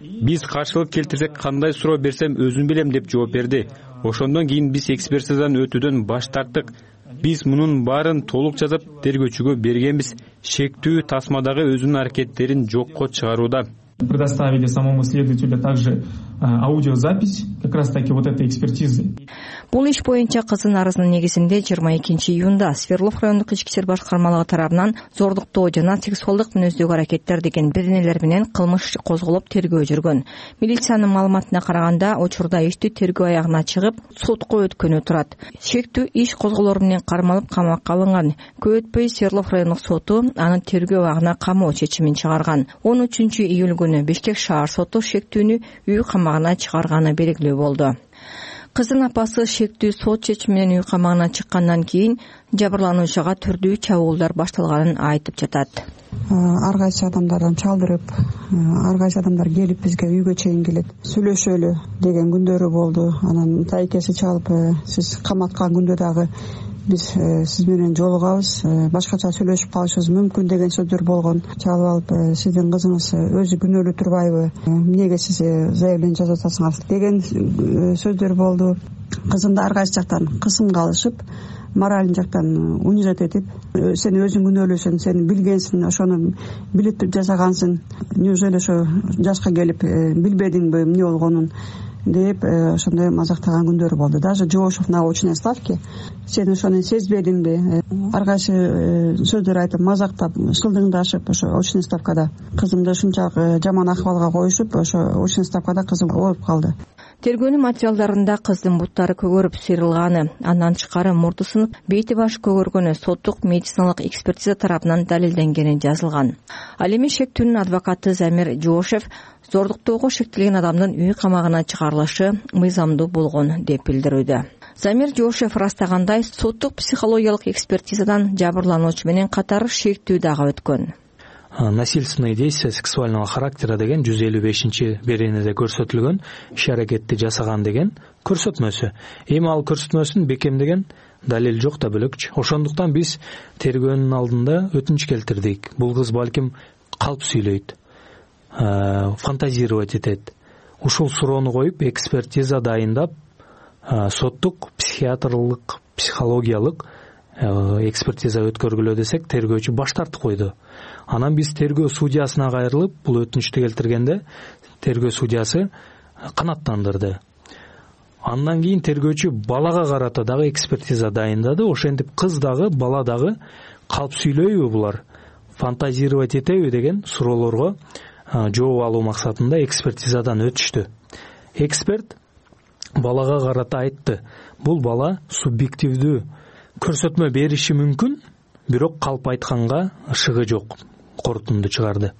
Биз каршылык келтирсек кандай суроо берсем өзүм билем деп жооп берди. Ошондон кийин биз экспертизадан өтүүдөн баш тарттык. Биз мунун баарын толук жазып тергөөчүгө бергенбиз. Шектүү тасмадагы өзүнүн аракеттерин жокко чыгарууда. Предоставили самому следователю также аудиозапись как раз таки вот этой экспертизы. Бул иш боюнча кыздын арызынын негизинде жыйырма экинчи июнда Свердлов райондук ички иштер башкармалыгы тарабынан зордуктоо жана сексуалдык мүнөздөгү аракеттер деген беренелер менен кылмыш козголуп тергөө жүргөн. Милициянын маалыматына караганда, учурда иштүү тергөө аягына чыгып, сотко өткөнү турат. Шектүү иш козголор менен кармалып камакка алынган. Көп өтпөй Свердлов райондук соту аны тергөө абагына камоо чечимин чыгарган. он үчүнчү июль күнү Бишкек шаар соту шектүүнү үй камагына чыгарганы белгилүү болду. Кыздын апасы шектүү сот чечими менен үй камагына чыккандан кийин жабырлануучуга түрдүү чабуулдар башталганын айтып жатат. Ар кайсы адамдардан чалдырып, ар кайсы адамдар келип бизге үйгө чейин келет. Сүйлөшөлү деген күндөрү болду. Анан тайкеси чалып, сиз каматкан күндө дагы биз сиз менен жолугабыз, башкача сүйлөшүп калышыбыз мүмкүн деген сөздөр болгон. Чалып алып, сиздин кызыңыз өзү күнөөлүү турбайбы, эмнеге сиз заявление жазып атасыңар деген сөздөр болду. Кызым да ар кайсы жактан кысымга алышып, мораль жактан унижать этип, сен өзүң күнөөлүүсүң, сен билгенсиң, ошону билип жасагансың, неужели ошо жашка келип билбедиңби эмне болгонун деп ошондой мазактаган күндөрү болду. Даже Жоошев на очной ставке сен ошону сезбедиңби, ар кайсы сөздөр айтып мазактап шылдыңдашып ошо очной ставкада кызымды ушунчалык жаман акыбалга коюшуп, ошо очной ставкада кызым ооруп калды. Тергөөнүн материалдарында кыздын буттары көгөрүп сыйрылганы, андан тышкары мурду сынып, бейти башы көгөргөнү соттук медициналык экспертиза тарабынан далилденгени жазылган. Ал эми шектүүнүн адвокаты Замир Жоошев зордуктоого шектелген адамдын үй камагына чыгарылышы мыйзамдуу болгон деп билдирүүдө. Замир Жоошев ырастагандай, соттук психологиялык экспертизадан жабырлануучу менен катар шектүү дагы өткөн. Насильственные действия сексуального характера деген жүз элүү бешинчи беренеде көрсөтүлгөн иш аракетти жасаган деген көрсөтмөсү. Эми ал көрсөтмөсүн бекемдеген далил жок да бөлөкчү. Ошондуктан биз тергөөнүн алдында өтүнүч келтирдик. Бул кыз балким калп сүйлөйт, фантазировать этет. Ушул суроону коюп экспертиза дайындап, соттук психиатрлык, психологиялык экспертиза өткөргүлө десек, тергөөчү баш тартып койду. Анан биз тергөө судьясына кайрылып, бул өтүнүчтү келтиргенде тергөө судьясы канааттандырды. Андан кийин тергөөчү балага карата дагы экспертиза дайындады. Ошентип кыз дагы, бала дагы калп сүйлөйбү булар, фантазировать этеби деген суроолорго жооп алуу максатында экспертизадан өтүштү. Эксперт балага карата айтты: бул бала субъективдүү көрсөтмө бериши мүмкүн, бирок калп айтканга ышыгы жок, корутунду чыгарды.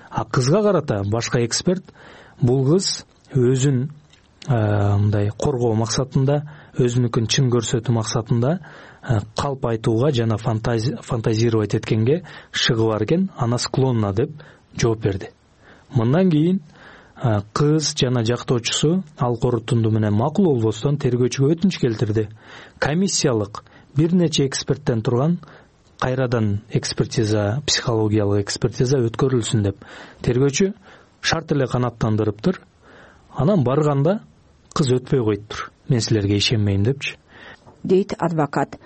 А кызга карата башка эксперт бул кыз өзүн мындай коргоо максатында, өзүнүкүн чын көрсөтүү максатында калп айтууга жана фантазировать эткенге ышыгы бар экен, ана склонна деп жооп берди. Мындан кийин кыз жана жактоочусу ал корутунду менен макул болбостон тергөөчүгө өтүнүч келтирди. Комиссиялык бир нече эксперттен турган кайрадан экспертиза, психологиялык экспертиза өткөрүлсүн деп. Тергөөчү шарт эле канааттандырыптыр. Анан барганда кыз өтпөй коюптур. Мен силерге ишенбейм депчи, дейт адвокат.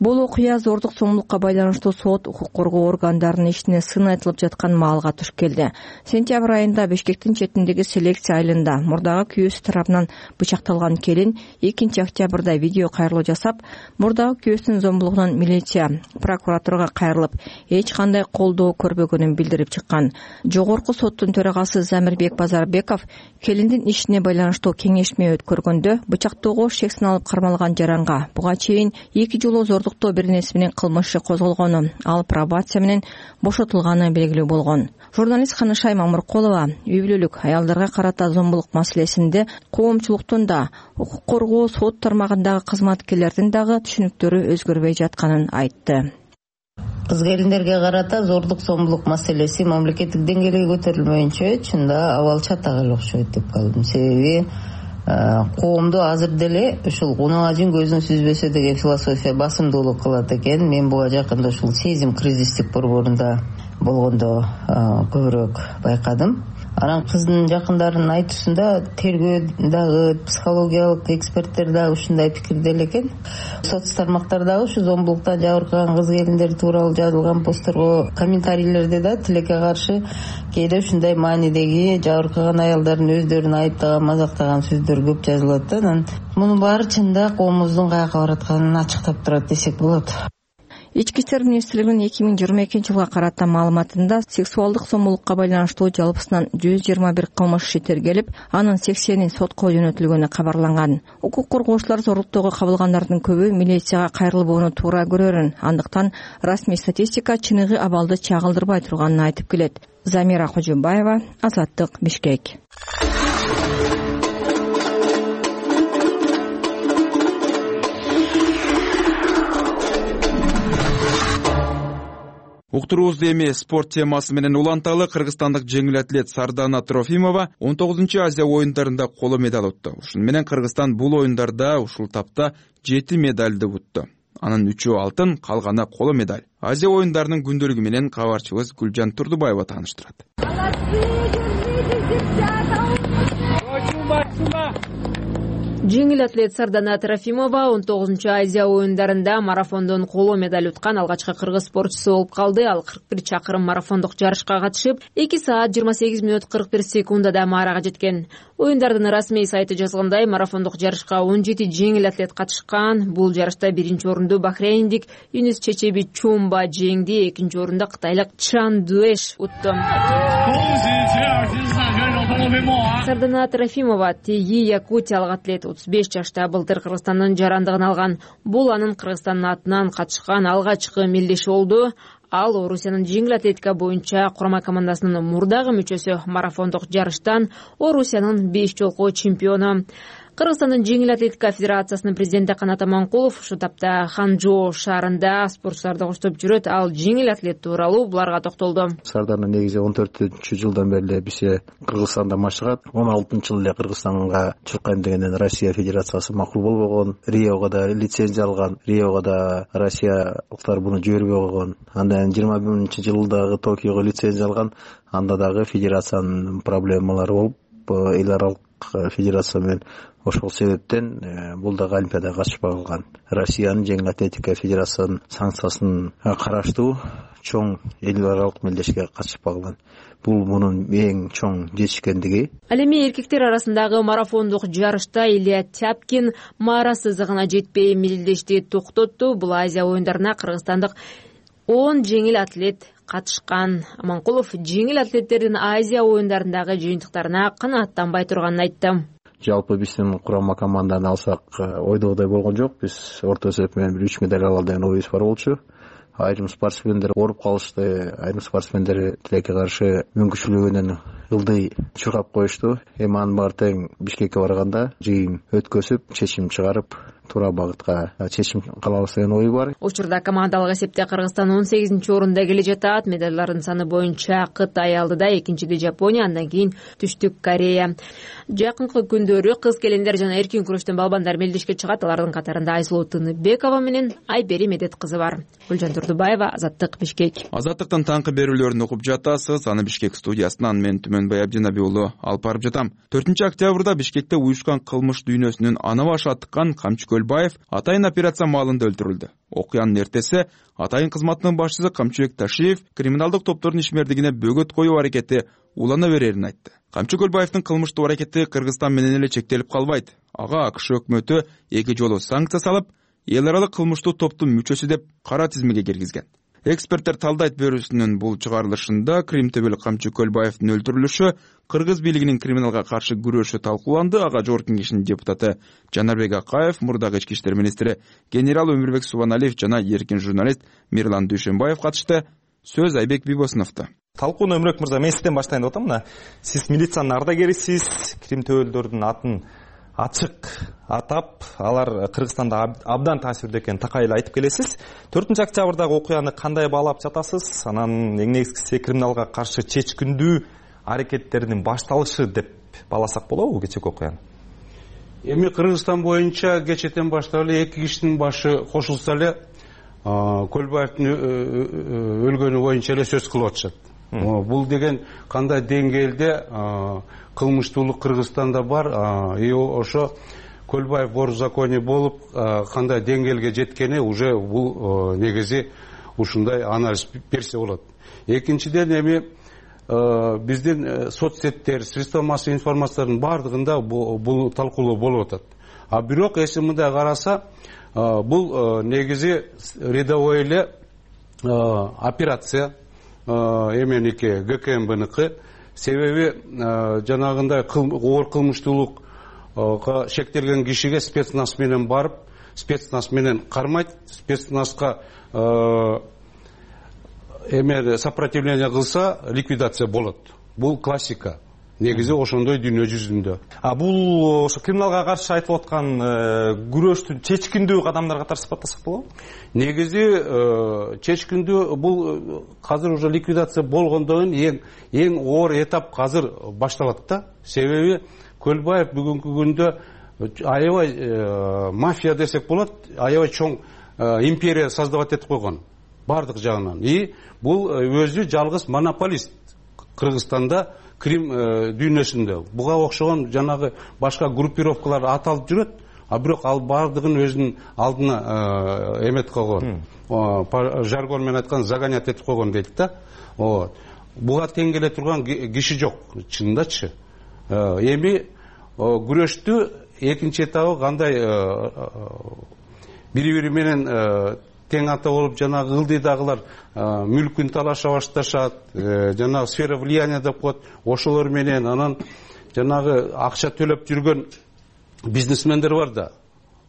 Бул окуя зордук зомбулукка байланыштуу сот укук коргоо органдарынын ишине сын айтылып жаткан маалга туш келди. Сентябрь айында Бишкектин четиндеги селекция айылында мурдагы күйөөсү тарабынан бычакталган келин экинчи октябрда видео кайрылуу жасап, мурдагы күйөөсүнүн зомбулугунан милиция, прокуратурага кайрылып, эч кандай колдоо көрбөгөнүн билдирип чыккан. Жогорку соттун төрагасы Замирбек Базарбеков келиндин ишине байланыштуу кеңешме өткөргөндө бычактоого шек саналып кармалган жаранга буга чейин эки жолу зордуктоо беренеси менен кылмышы козголгону, ал пробация менен бошотулганы белгилүү болгон. Журналист Ханышай Мамыркулова үй бүлөлүк аялдарга карата зомбулук маселесинде коомчулуктун да, укук коргоо сот тармагындагы кызматкерлердин дагы түшүнүктөрү өзгөрбөй жатканын айтты. Кыз келиндерге карата зордук зомбулук маселеси мамлекеттик деңгээлге көтөрүлмөйүнчө чында абал чатак эле окшойт деп калдым. Себеби коомдо азыр деле ушул унаа жүн көзүн сүзбөсө деген философия басымдуулук кылат экен. Мен буга жакында ушул сезим кризистик борборунда болгондо көбүрөөк байкадым. Анан кыздын жакындарынын айтуусунда тергөө дагы, психологиялык эксперттер дагы ушундай пикирде эле экен. Соц тармактардагы ушу зомбулуктан жабыркаган кыз келиндер тууралуу жазылган постторго, комментарийлерде да тилекке каршы кээде ушундай маанидеги жабыркаган аялдардын өздөрүн айыптаган, мазактаган сөздөр көп жазылат да. Анан мунун баары чында коомубуздун каяка баратканын ачыктап турат десек болот. Ички иштер министрлигинин эки миң жыйырма экинчи жылга карата маалыматында сексуалдык зомбулукка байланыштуу жалпысынан жүз жыйырма бир кылмыш иши тергелип, анын сексени сотко жөнөтүлгөнү кабарланган. Укук коргоочулар зорлуктоого кабылгандардын көбү милицияга кайрылбоону туура көрөрүн, андыктан расмий статистика чыныгы абалды чагылдырбай турганын айтып келет. Замира Кожубаева, Азаттык, Бишкек. Уктуруубузду эми спорт темасы менен уланталы. Кыргызстандык жеңил атлет Сардана Трофимова он тогузунчу Азия оюндарында коло медаль утту. Ушуну менен Кыргызстан бул оюндарда ушул тапта жети медальды утту. Анын үчөө алтын, калганы коло медаль. Азия оюндарынын күндөлүгү менен кабарчыбыз Гүлжан Турдубаева тааныштырат. Жеңил атлет Сардана Трофимова он тогузунчу Азия оюндарында марафондон коло медаль уткан алгачкы кыргыз спортчусу болуп калды. Ал кырк бир чакырым марафондук жарышка катышып, эки саат жыйырма сегиз мүнөт кырк бир секундада маарага жеткен. Оюндардын расмий сайты жазгандай, марафондук жарышка он жети жеңил атлет катышкан. Бул жарышта биринчи орунду бахрейндик Юнус Чечеби Чумба жеңди, экинчи орунда кытайлык Чан Дуэш утту. Сардана Трофимова теги якутиялык атлет отуз беш жашта былтыр Кыргызстандын жарандыгын алган. Бул анын Кыргызстандын атынан катышкан алгачкы мелдеши болду. Ал Орусиянын жеңил атлетика боюнча курама командасынын мурдагы мүчөсү, марафондук жарыштан Орусиянын беш жолку чемпиону. Кыргызстандын жеңил атлетика федерациясынын президенти Канат Аманкулов ушу тапта Ханчжоу шаарында спортчуларды коштоп жүрөт. Ал жеңил атлет тууралуу буларга токтолду. Сардана негизи он төртүнчү жылдан бери бизге Кыргызстанда машыгат. он алтынчы жылы эле Кыргызстанга чыккан дегенден Россия федерациясы макул болбогон. Риого да лицензия алган. Риого да Россиялыктар буну жибербей койгон. Андан жыйырма биринчи жылдагы Токиого лицензия алган. Анда дагы федерациянын проблемалары болуп, эл аралык федерация менен ошол себептен бул дагы олимпиадага катышпай калган. Россиянын жеңил атлетика федерациясынын санкциясын караштуу чоң эл аралык мелдешке катышпай калган. Бул мунун эң чоң жетишкендиги. Ал эми эркектер арасындагы марафондук жарышта Илья Тяпкин маара сызыгына жетпей мелдешти токтотту. Бул Азия оюндарына кыргызстандык он жеңил атлет катышкан. Аманкулов жеңил атлеттердин Азия оюндарындагы жыйынтыктарына канааттанбай турганын айтты. Жалпы биздин курама команданы алсак ойдогудай болгон жок. Биз орто эсеп менен бир үч медаль алалы деген оюбуз бар болчу. Айрым спортсмендер ооруп калышты, айрым спортсмендер тилекке каршы мүмкүнчүлүгүнөн ылдый чуркап коюшту. Эми анын баары тең Бишкекке барганда жыйын өткөзүп, чечим чыгарып, туура багытка чечим кылабыз деген ой бар. Учурда командалык эсепте Кыргызстан он сегизинчи орунда келе жатат. Медальдардын саны боюнча Кытай алдыда, экинчиде Жапония, андан кийин Түштүк Корея. Жакынкы күндөрү кыз келиндер жана эркин күрөштөн балбандар мелдешке чыгат. Алардын катарында Айсулуу Тыныбекова менен Айбери Медет кызы бар. Гүлжан Турдубаева, Азаттык, Бишкек. Азаттыктын таңкы берүүлөрүн окуп жатасыз. Аны Бишкек студиясынан мен Түмөнбай Абдинаби уулу алып барып жатам. төртүнчү октябрда Бишкекте уюшкан кылмыш дүйнөсүнүн ана башы аттыккан Камчы Көлбаев атайын операция маалында өлтүрүлдү. Окуянын эртеси атайын кызматынын башчысы Камчыбек Ташиев криминалдык топтордун ишмердигине бөгөт коюу аракети улана берерин айтты. Камчы Көлбаевдин кылмыштуу аракети Кыргызстан менен эле чектелип калбайт. Ага АКШ өкмөтү эки жолу санкция салып, эл аралык кылмыштуу топтун мүчөсү деп кара тизмеге киргизген. Эксперттер талдайт берүүсүнүн бул чыгарылышында Крим төбөлү Камчы Көлбаевдин өлтүрүлүшү, кыргыз бийлигинин криминалга каршы күрөшү талкууланды. Ага Жогорку Кеңештин депутаты Жанарбек Акаев, мурдагы ички иштер министри генерал Өмүрбек Субаналиев жана эркин журналист Мирлан Дүйшөнбаев катышты. Сөз Айбек Бибосуновдо. Талкууну Өмүрбек мырза, мен сизден баштайын деп атам. Мына сиз милициянын ардагерисиз, Крим төбөлдөрдүн атын ачык атап, алар Кыргызстанда абдан таасирдүү экенин такай эле айтып келесиз. төртүнчү октябрдагы окуяны кандай баалап жатасыз? Анан эң негизгиси криминалга каршы чечкиндүү аракеттердин башталышы деп бааласак болобу кечээки окуяны? Эми Кыргызстан боюнча кечээден баштап эле эки кишинин башы кошулса эле Көлбаевдин өлгөнү боюнча эле сөз кылып атышат. Бул деген кандай деңгээлде кылмыштуулук Кыргызстанда бар, и ошо Көлбаев бор законе болуп кандай деңгээлге жеткени уже бул негизи ушундай анализ берсе болот. Экинчиден эми биздин соцсеттер, средства массовой информациянын бардыгында бул талкуулоо болуп атат. А бирок эси мындай караса, бул негизи рядовой эле операция эменики ГКМБныкы. Себеби жанагындай оор кылмыштуулукка шектелген кишиге спецназ менен барып, спецназ менен кармайт, спецназга эме сопротивление кылса ликвидация болот. Бул классика. Негизи ошондой дүйнө жүзүндө. А бул ошо криминалга каршы айтылып аткан күрөштүн чечкиндүү кадамдар катары сыпаттасак болобу? Негизи чечкиндүү бул азыр уже ликвидация болгондон кийин эң эң оор этап азыр башталат да. Себеби Көлбаев бүгүнкү күндө аябай мафия десек болот, аябай чоң империя создавать этип койгон бардык жагынан. И бул өзү жалгыз монополист Кыргызстанда Крим дүйнөсүндө буга окшогон жанагы башка группировкалар аталып жүрөт, а бирок ал баардыгын өзүнүн алдына эмет койгон, жаргон менен айтканда загонять этип койгон дейт да. Буга тең келе турган киши жок чынындачы. Эми күрөштү экинчи этабы кандай бири бири менен тең ата болуп жанагы ылдыйдагылар мүлкүн талаша башташат, жанагы сфера влияния деп коет, ошолор менен анан жанагы акча төлөп жүргөн бизнесмендер бар да,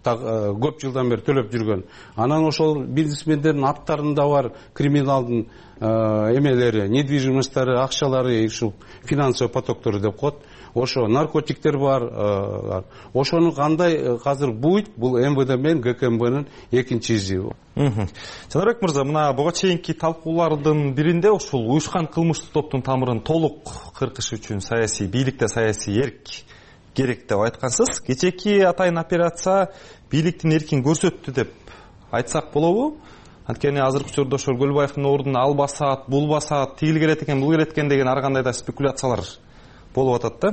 көп жылдан бери төлөп жүргөн. Анан ошол бизнесмендердин аттарында бар криминалдын эмелери, недвижимосттары, акчалары, ушул финансовый потоктору деп коет. Ошо наркотиктер бар. Ошону кандай азыр буйт, бул эм вэ дэ менен гэ ка эм бнын экинчи изи. Жанарбек мырза, мына буга чейинки талкуулардын биринде ушул уюшкан кылмыштык топтун тамырын толук кыркыш үчүн саясий бийликте саясий эрк керек деп айткансыз. Кечээки атайын операция бийликтин эркин көрсөттү деп айтсак болобу? Анткени азыркы учурда ошол Көлбаевдин ордуна ал басат, бул басат, тигил келет экен, бул келет экен деген ар кандай да спекуляциялар болуп атат да.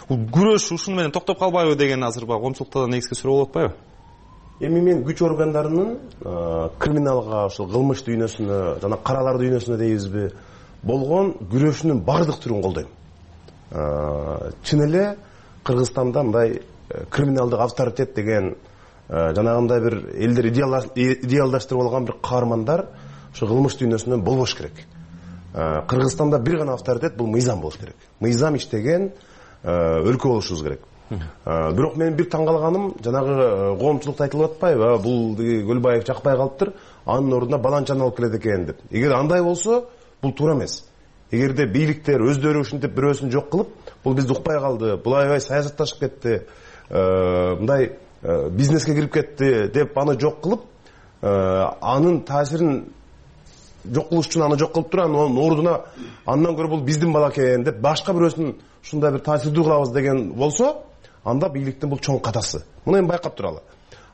Бул күрөш ушуну менен токтоп калбайбы деген азыр баягы коомчулукта негизги суроо болуп атпайбы? Эми мен күч органдарынын криминалга, ошол кылмыш дүйнөсүнө, жана каралар дүйнөсүнө дейбизби, болгон күрөшүнүн бардык түрүн колдойм. Чын эле Кыргызстанда мындай криминалдык авторитет деген жанагындай бир элдер идеалдаштырып алган бир каармандар ошо кылмыш дүйнөсүнөн болбош керек. Кыргызстанда бир гана авторитет, бул мыйзам болуш керек. Мыйзам иштеген өлкө болушубуз керек. Бирок мен бир таң калганым, жанагы коомчулукта айтылып атпайбы, бул Көлбаев жакпай калыптыр, анын ордуна баланчаны алып келет экен деп. Эгер андай болсо, бул туура эмес. Эгерде бийликтер өздөрү ушинтип бирөөсүн жок кылып, бул бизди укпай калды, бул аябай саясатташып кетти, мындай бизнеске кирип кетти деп аны жок кылып, анын таасирин жок кылыш үчүн аны жок кылып туруп, анын ордуна андан көрө бул биздин бала экен деп башка бирөөсүн ушундай бир таасирдүү кылабыз деген болсо, анда бийликтин бул чоң катасы. Муну эми байкап туралы.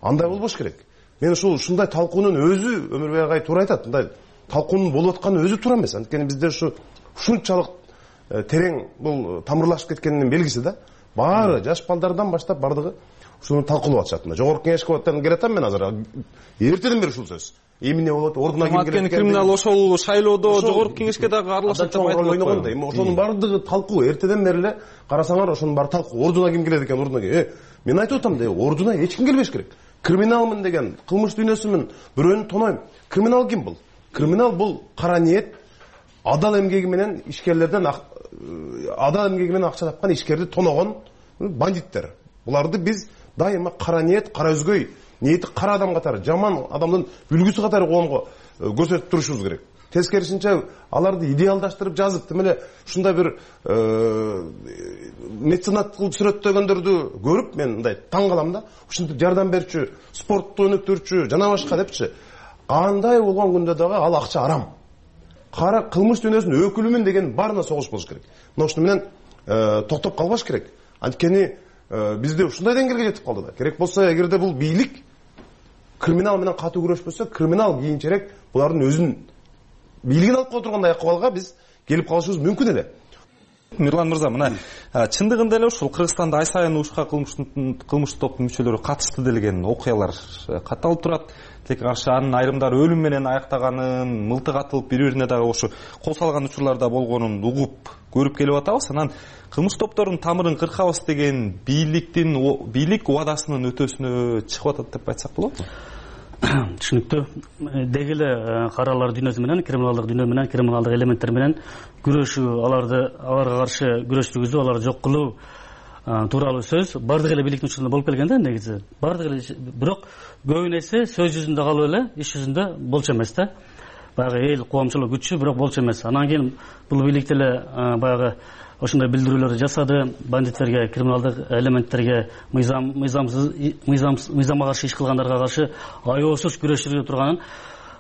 Андай болбош керек. Мен ушул ушундай талкуунун өзү Өмүрбек агай туура айтат. Мындай талкуунун болуп атканы өзү туура эмес. Анткени бизде ушу ушунчалык терең бул тамырлашып кеткенинин белгиси да. Баары жаш балдардан баштап бардыгы ушуну талкуулап атышат. Жогорку кеңеш кабаттарына келатам мен азыр. Эртеден бери ушул сөз. Эмне болот? Ордуна ким келет? Анткени криминал ошол шайлоодо жогорку кеңешке дагы аралашат деп айтылат. Эми ошонун бардыгы талкуу. Эртеден бери эле карасаңар ошонун баары талкуу. Ордуна ким келет экен? Ордуна ким? Мен айтып атам да, ордуна эч ким келбеш керек. Криминалмын деген, кылмыш дүйнөсүмүн, бирөөнү тонойм. Криминал ким бул? Криминал бул кара ниет, адал эмгеги менен ишкерлерден адал эмгеги менен акча тапкан ишкерди тоногон бандиттер. Буларды биз дайыма кара ниет, кара өзгөй, ниети кара адам катары, жаман адамдын үлгүсү катары коомго көрсөтүп турушубуз керек. Тескерисинче аларды идеалдаштырып жазып, тим эле ушундай бир меценат кылып сүрөттөгөндөрдү көрүп мен мындай таң калам да. Ушинтип жардам берчү, спортту өнүктүрчү, жана башка депчи. Кандай болгон күндө дагы ал акча арам. Кара кылмыш дүйнөсүнүн өкүлүмүн деген баарына согуш болуш керек. Мына ушуну менен токтоп калбаш керек. Анткени бизде ушундай деңгээлге жетип калды да. Керек болсо, эгерде бул бийлик криминал менен катуу күрөшпөсө, криминал кийинчерээк булардын өзүнүн бийлигин алып кое тургандай акыбалга биз келип калышыбыз мүмкүн эле. Мирлан мырза, мына чындыгында эле ушул Кыргызстанда ай сайын уюшкан кылмыштык топтун мүчөлөрү катышты делген окуялар катталып турат. Тек анын айрымдары өлүм менен аяктаганын, мылтык атылып бири-бирине дагы ошо кол салган учурларда болгонун угуп көрүп келип атабыз. Анан кылмыш топтордун тамырын кыркабыз деген бийликтин бийлик убадасынын өтөсүнө чыгып атат деп айтсак болобу? Түшүнүктүү. Деги эле каралар дүйнөсү менен, криминалдык дүйнө менен, криминалдык элементтер менен күрөшүү, аларды аларга каршы күрөш жүргүзүү, аларды жок кылуу тууралуу сөз бардык эле бийликтин учурунда болуп келген да негизи. Бардык эле, бирок көбүн эсе сөз жүзүндө калып эле, иш жүзүндө болчу эмес да. Баягы эл коомчулук күчү, бирок болчу эмес. Анан кийин бул бийлик эле баягы ошондой билдирүүлөрдү жасады, бандиттерге, криминалдык элементтерге, мыйзам мыйзамсыз мыйзам мыйзамга каршы иш кылгандарга каршы аеосуз күрөш жүргүзүп турганын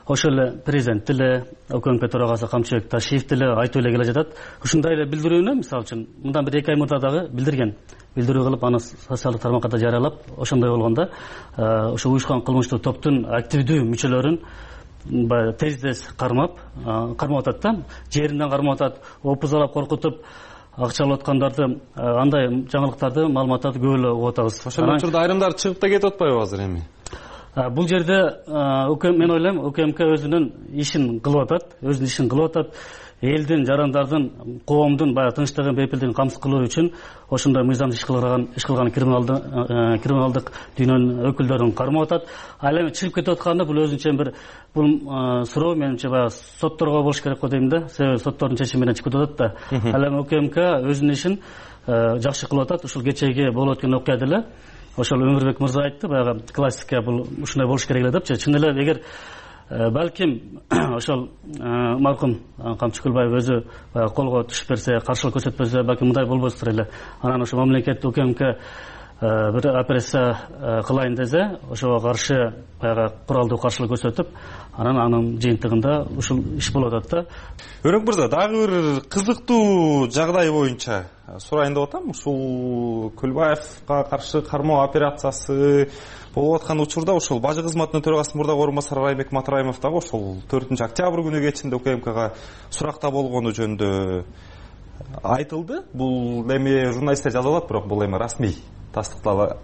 ошол эле президент деле, ОКМК төрагасы Камчыбек Ташиев деле айтып эле келе жатат. Ушундай эле билдирүүнү, мисалы үчүн, мындан бир эки ай мурда дагы билдирген. Билдирүү кылып, аны социалдык тармакка да жарыялап, ошондой болгондо ошо уюшкан кылмыштык топтун активдүү мүчөлөрүн тез-тез кармап, кармап атат да, жеринден кармап атат, опузалап коркутуп, акча алып аткандарды андай жаңылыктарды маалыматтарды көп эле угуп атабыз. Ошол учурда айрымдары чыгып да кетип атпайбы азыр эми? Бул жерде мен ойлойм УКМК өзүнүн ишин кылып атат, өзүнүн ишин кылып атат. Элдин, жарандардын, коомдун баягы тынчтыгын, бейпилдигин камсыз кылуу үчүн ошондой мыйзамдуу иш кылган иш кылган криминалдык дүйнөнүн өкүлдөрүн кармап атат. Ал эми чыгып кетип атканда бул өзүнчө бир бул суроо менимче баягы сотторго болуш керек го дейм да. Себеби соттордун чечими менен чыгып атат да. Ал эми УКМК өзүнүн ишин жакшы кылып атат. Ушул кечеги болуп өткөн окуя деле ошол Өмүрбек мырза айтты, баягы классика бул ушундай болуш керек эле депчи. Чын эле эгер балким ошол маркум Камчы Көлбаев өзү колго түшүп берсе, каршылык көрсөтпөсө, балким мындай болбостур эле. Анан ошо мамлекет УКМК бир операция кылайын десе, ошого каршы баягы куралдуу каршылык көрсөтүп, анан анын жыйынтыгында ушул иш болуп атат да. Өрөк мырза, дагы бир кызыктуу жагдай боюнча сурайын деп атам. Ушул Көлбаевга каршы кармоо операциясы болуп аткан учурда ушул бажы кызматынын төрагасынын мурдагы орун басары Райбек Матраимов дагы ошол төртүнчү октябрь күнү кечинде УКМКга суракта болгону жөнүндө айтылды. Бул эми журналисттер жазып атат, бирок бул эми расмий тастыктала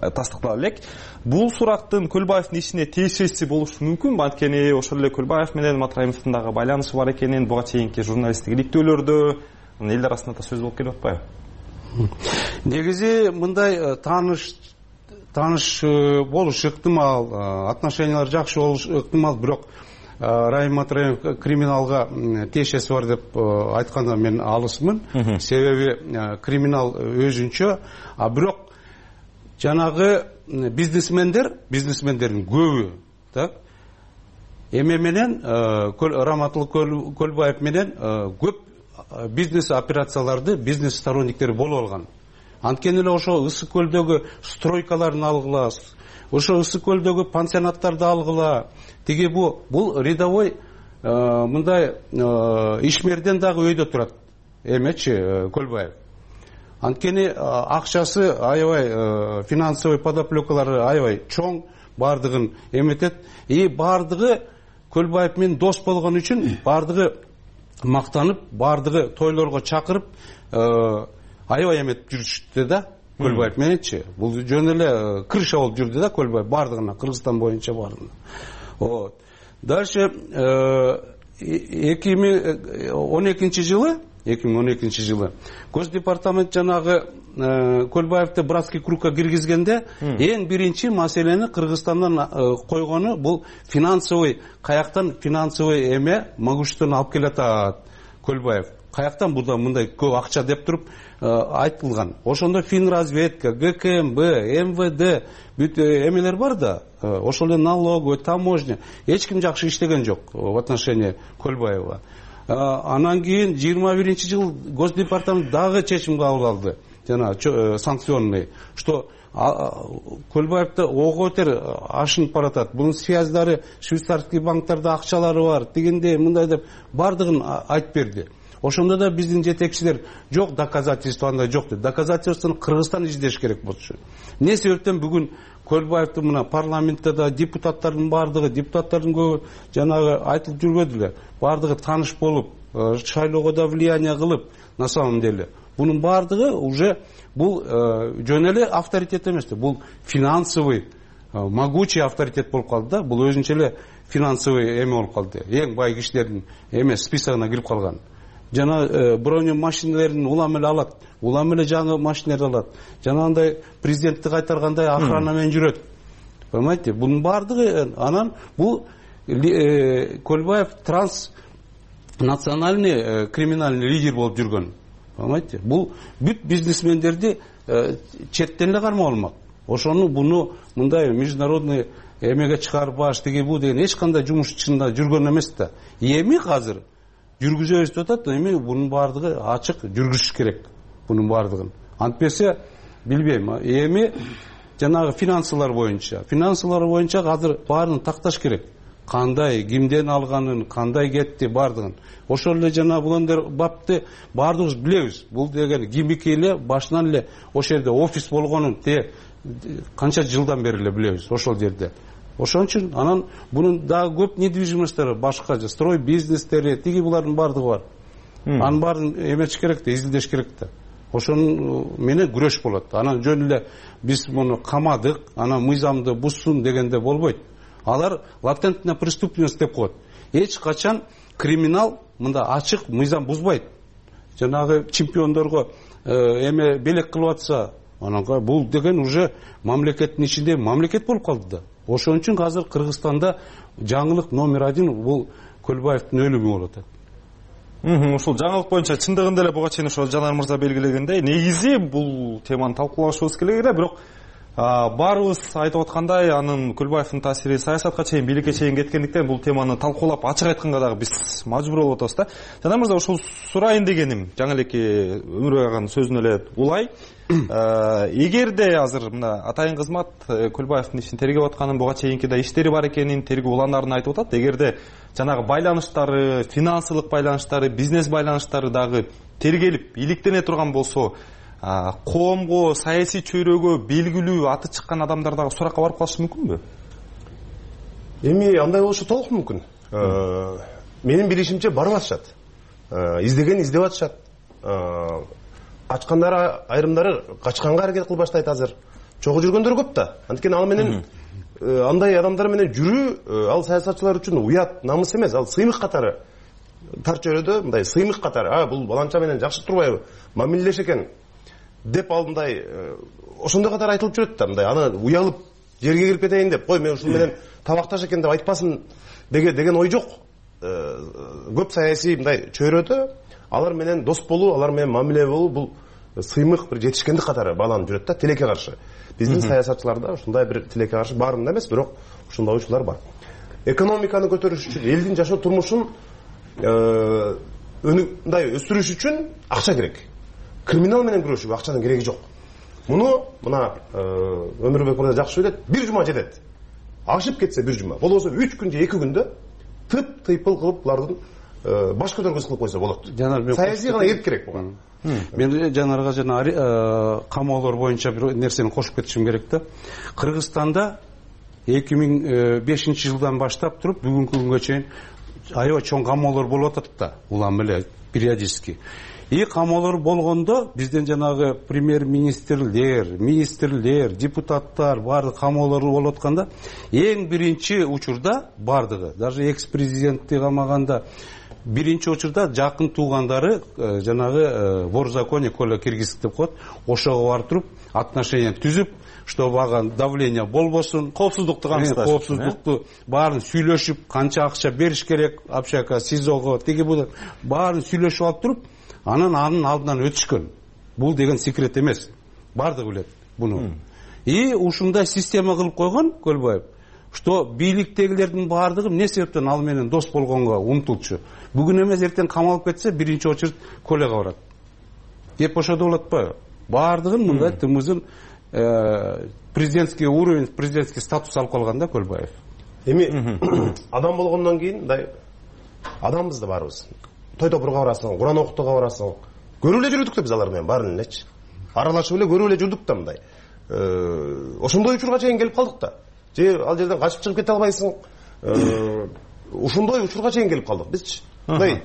элек. Бул сурактын Көлбаевдин ишине тиешеси болушу мүмкүн. Анткени ошол эле Көлбаев менен Матраимовдун дагы байланышы бар экенин буга чейинки журналисттик иликтөөлөрдө эл арасында да сөз болуп келип атпайбы? Негизи мындай тааныш тааныш болуш ыктымал, отношениялар жакшы болуш ыктымал, бирок Райым Матраимов криминалга тиешеси бар деп айтканда мен алысмын. Себеби криминал өзүнчө, а бирок жанагы бизнесмендер, бизнесмендердин көбү, так, эме менен Раматыл Көлбаев менен көп бизнес операцияларды бизнес сторонниктери болуп алган. Анткени эле ошо Ысык көлдөгү стройкаларын алгыла, ошо Ысык көлдөгү пансионаттарды алгыла. Тиги бу бул рядовой мындай ишмерден дагы өйдө турат эмечи Көлбаев. Анткени акчасы аябай, финансовый подоплекалары аябай чоң, бардыгын эметет. И бардыгы Көлбаев менен дос болгон үчүн бардыгы мактанып, бардыгы тойлорго чакырып аябай эметип жүрүштү да Көлбаев мененчи. Бул жөн эле крыша болуп жүрдү да Көлбаев бардыгына, Кыргызстан боюнча бардыгына. Вот. Дальше эки миң он экинчи жылы эки миң он экинчи жылы Госдепартамент жанагы Көлбаевди братский кругка киргизгенде эң биринчи маселени Кыргызстандан койгону бул финансовый, каяктан финансовый эме могуществону алып келатат Көлбаев. Каяктан буда мындай көп акча деп туруп айтылган. Ошондо Финразведка, ГКМБ, МВД бүт эмелер бар да, ошол эле налоговый, таможня, эч ким жакшы иштеген жок в отношении Көлбаева. Анан кийин жыйырма биринчи жыл Госдепартамент дагы чечим кабыл алды, жана санкционный, что Көлбаевди ого бетер ашынып баратат. Бунун связьдары швейцарский банктарда акчалары бар, дегенде мындай деп бардыгын айтып берди. Ошондо да биздин жетекчилер жок, доказательство андай жок деп. Доказательствону Кыргызстан издеш керек болчу. Эмне себептен бүгүн Көлбаевди мына парламентте да депутаттардын бардыгы, депутаттардын көбү жанагы айтылып жүргөдүлөр. Бардыгы тааныш болуп, шайлоого да влияние кылып, на самом деле. Бунун бардыгы уже бул жөн эле авторитет эмес, бул финансовый, могучий авторитет болуп калды да. Бул өзүнчө эле финансовый эме болуп калды. Эң бай кишилердин эме списогуна кирип калган. Жана броню машиналарын улам эле алат, улам эле жаңы машиналарды алат. Жанагындай президентти кайтаргандай охрана менен жүрөт. Понимаете? Бунун бардыгы анан бул Көлбаев транснациональный криминальный лидер болуп жүргөн. Понимаете? Бул бүт бизнесмендерди четтен эле кармап алмак. Ошону буну мындай международный эмеге чыгарбаш деги бу деген эч кандай жумуш ичинде жүргөн эмес да. Эми азыр жүргүзөбүз деп атат, эми бунун бардыгы ачык жүргүзүш керек. Бунун бардыгын. Антпесе билбейм. Эми жанагы финансылар боюнча, финансылар боюнча азыр баарын такташ керек. Кандай, кимден алганын, кандай кетти бардыгын. Ошол эле жана булондор бапты баардыгыбыз билебиз. Бул деген кимики эле башынан эле ошол жерде офис болгонун те канча жылдан бери эле билебиз ошол жерде. Ошон үчүн анан бунун дагы көп недвижимосттери башка, строй бизнестери, тиги булардын бардыгы бар. Анын баарын эмеш керек да, изилдеш керек да. ошону менен күрөш болот. Анан жөн эле биз муну камадык, анан мыйзамды бузсун дегенде болбойт. Алар латентная преступность деп коет. Эч качан криминал мында ачык мыйзам бузбайт. Жанагы чемпиондорго эме белек кылып атса, ананга бул деген уже мамлекеттин ичинде мамлекет болуп калды да. Ошон үчүн азыр Кыргызстанда жаңылык номер один бул Көлбаевдин өлүмү болуп атат. Ушул жаңылык боюнча чындыгында эле буга чейин ошо Жанар мырза белгилегендей, негизи бул теманы талкуулашыбыз керек эле, бирок баарыбыз айтып аткандай, анын Көлбаевдин таасири саясатка чейин, бийликке чейин кеткендиктен бул теманы талкуулап ачык айтканга дагы биз мажбур болуп атабыз да. Жанар мырза, ушул сурайын дегеним жаңы элеки Өмүрбек аганын сөзүнө эле улай. Эгерде азыр мына атайын кызмат Көлбаевдин ишин тергеп атканын, буга чейинки да иштери бар экенин, тергөө уландарын айтып атат. Эгерде жанагы байланыштары, финансылык байланыштары, бизнес байланыштары дагы тергелип, иликтене турган болсо, коомго, саясий чөйрөгө белгилүү аты чыккан адамдар дагы суракка барып калышы мүмкүнбү? Эми андай болушу толук мүмкүн. Менин билишимче барып атышат. Издеген издеп атышат. Качкандар айрымдары качканга аракет кылып баштайт азыр. Чогуу жүргөндөр көп да. Анткени ал менен андай адамдар менен жүрүү ал саясатчылар үчүн уят, намыс эмес, ал сыймык катары. Тар чөйрөдө мындай сыймык катары, а бул баланча менен жакшы турбайбы, мамилелеш экен деп ал мындай ошондой катары айтылып жүрөт да, мындай аны уялып жерге кирип кетейин деп, кой мен ушул менен табакташ экен деп айтпасын деген ой жок. Көп саясий мындай чөйрөдө алар менен дос болуу, алар менен мамиле болуу бул сыймык бир жетишкендик катары бааланып жүрөт да, тилекке каршы. Биздин саясатчыларда ушундай бир тилекке каршы баарында эмес, бирок ушундай учурлар бар. Экономиканы көтөрүш үчүн, элдин жашоо турмушун мындай өстүрүш үчүн акча керек. Криминал менен күрөшүүгө акчанын кереги жок. Муну мына Өмүрбек мырза жакшы ойлойт, бир жума жетет. Ашып кетсе бир жума, болбосо үч күн же эки күндө тып тыйпыл кылып булардын баш көтөргүс кылып койсо болот. Саясий гана эрк керек буга. Мен Жанарга жана камоолор боюнча бир нерсени кошуп кетишим керек да. Кыргызстанда эки миң бешинчи жылдан баштап туруп бүгүнкү күнгө чейин аябай чоң камоолор болуп атат да, улам эле периодически. И камоолор болгондо бизден жанагы премьер-министрлер, министрлер, депутаттар баардык камоолор болуп атканда, эң биринчи учурда баардыгы, даже экс-президентти камаганда биринчи учурда жакын туугандары жанагы вор в законе Коля Киргизов деп коет, ошого барып туруп отношения түзүп, чтобы ага давление болбосун, коопсуздукту камсыздаш, коопсуздукту баарын сүйлөшүп, канча акча бериш керек общака, СИЗОго, тиги бул баарын сүйлөшүп алып туруп, анан анын алдынан өтүшкөн. Бул деген секрет эмес. Бардыгы билет буну. И ушундай система кылып койгон Көлбаев, что бийликтегилердин баардыгы эмне себептен ал менен дос болгонго умтулчу. Бүгүн эмес эртең камалып кетсе, биринчи очередь Коляга барат. Деп ошодо болот атпайбы? Баардыгын мындай тымызын президентский уровень, президентский статус алып калган да Көлбаев. Эми адам болгондон кийин мындай адамбыз да барыбыз. Той топурга барасың, Куран окутууга барасың. Көрүп эле жүрдүк да биз алар менен баарын элечи. Аралашып эле көрүп эле жүрдүк да мындай. Ошондой учурга чейин келип калдык да. Же ал жерден качып чыгып кете албайсың. Ушундай учурга чейин келип калдык бизчи. Мындай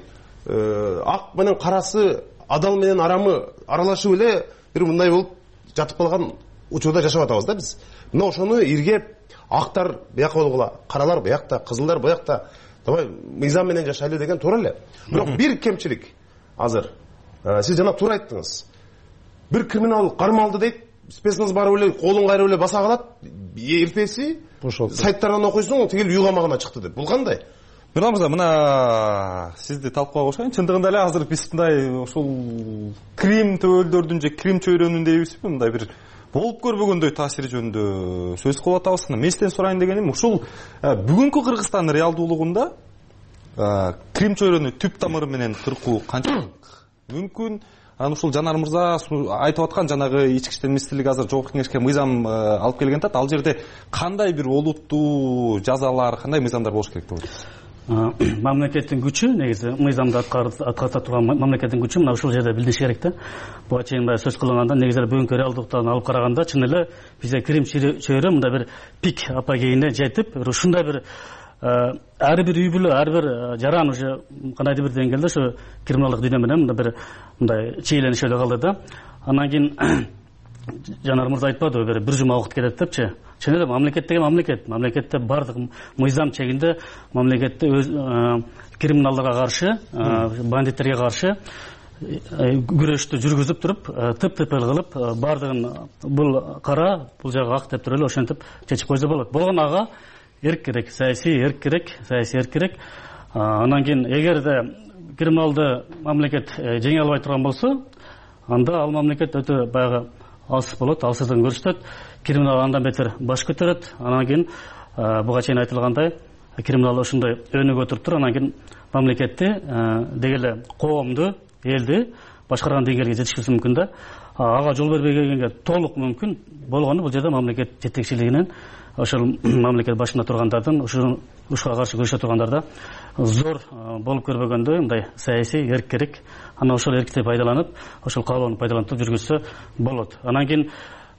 ак менен карасы, адал менен арамы аралашып эле бир мындай болуп жатып калган учурда жашап атабыз да биз. Мына ошону иргеп актар бияка болгула, каралар биякта, кызылдар буякта, давай мыйзам менен жашайлы деген туура эле. Бирок бир кемчилик азыр. Сиз жана туура айттыңыз. Бир криминал кармалды дейт, спецназ барып эле колун кайрып эле баса калат, эртеси сайттардан окуйсуң, тигил үй камагына чыкты деп. Бул кандай? Нурлан мырза, мына сизди талкууга кошоюн. Чындыгында эле азыр биз мындай ушул крим төбөлдөрдүн же крим чөйрөнүн дейбизби, мындай бир болуп көрбөгөндөй таасири жөнүндө сөз кылып атабыз. Мен сизден сурайын дегеним, ушул бүгүнкү Кыргызстандын реалдуулугунда крим чөйрөнү түп тамыры менен кыркуу канчалык мүмкүн? Анан ушул Жанар мырза айтып аткан жанагы ички иштер министрлиги азыр жогорку кеңешке мыйзам алып келген атат. Ал жерде кандай бир олуттуу жазалар, кандай мыйзамдар болуш керек деп ойлойсуз? Мамлекеттин күчү, негизи мыйзамды аткарата турган мамлекеттин күчү мына ушул жерде билдириш керек да. Буга чейин баягы сөз кылганда, негизи бүгүнкү реалдыктан алып караганда, чын эле бизде крим чөйрө мындай бир пик апогейине жетип, ушундай бир ар бир үй бүлө, ар бир жаран уже кандайдыр бир деңгээлде ошо криминалдык дүйнө менен мындай бир мындай чийленип эле калды да. Анан кийин Жанар мырза айтпадыбы, бир бир жума убакыт кетет депчи. Чын эле мамлекет деген мамлекет. Мамлекетте бардык мыйзам чегинде мамлекетте өз криминалдыга каршы, бандиттерге каршы күрөштү жүргүзүп туруп, тып-тыпыл кылып, бардыгын бул кара, бул жагы ак деп туруп эле ошентип чечип койсо болот. Болгон ага эрк керек, саясий эрк керек, саясий эрк керек. Анан кийин эгерде криминалды мамлекет жеңе албай турган болсо, анда ал мамлекет өтө баягы алсыз болот, алсыздыгын көрсөтөт, криминал андан бетер баш көтөрөт. Анан кийин буга чейин айтылгандай, криминал ошондой өнүгө туруптур, анан кийин мамлекетти деги эле коомду, элди башкарган деңгээлге жетишпеси мүмкүн да. Ага жол бербей келгенге толук мүмкүн болгону бул жерде мамлекет жетекчилигинен, ошол мамлекет башында тургандардын, ушуга каршы күрөшө тургандарда зор болуп көрбөгөндөй мындай саясий эрк керек. Анан ошол эркти пайдаланып, ошол каалоону пайдаланып жүргүзсө болот. Анан кийин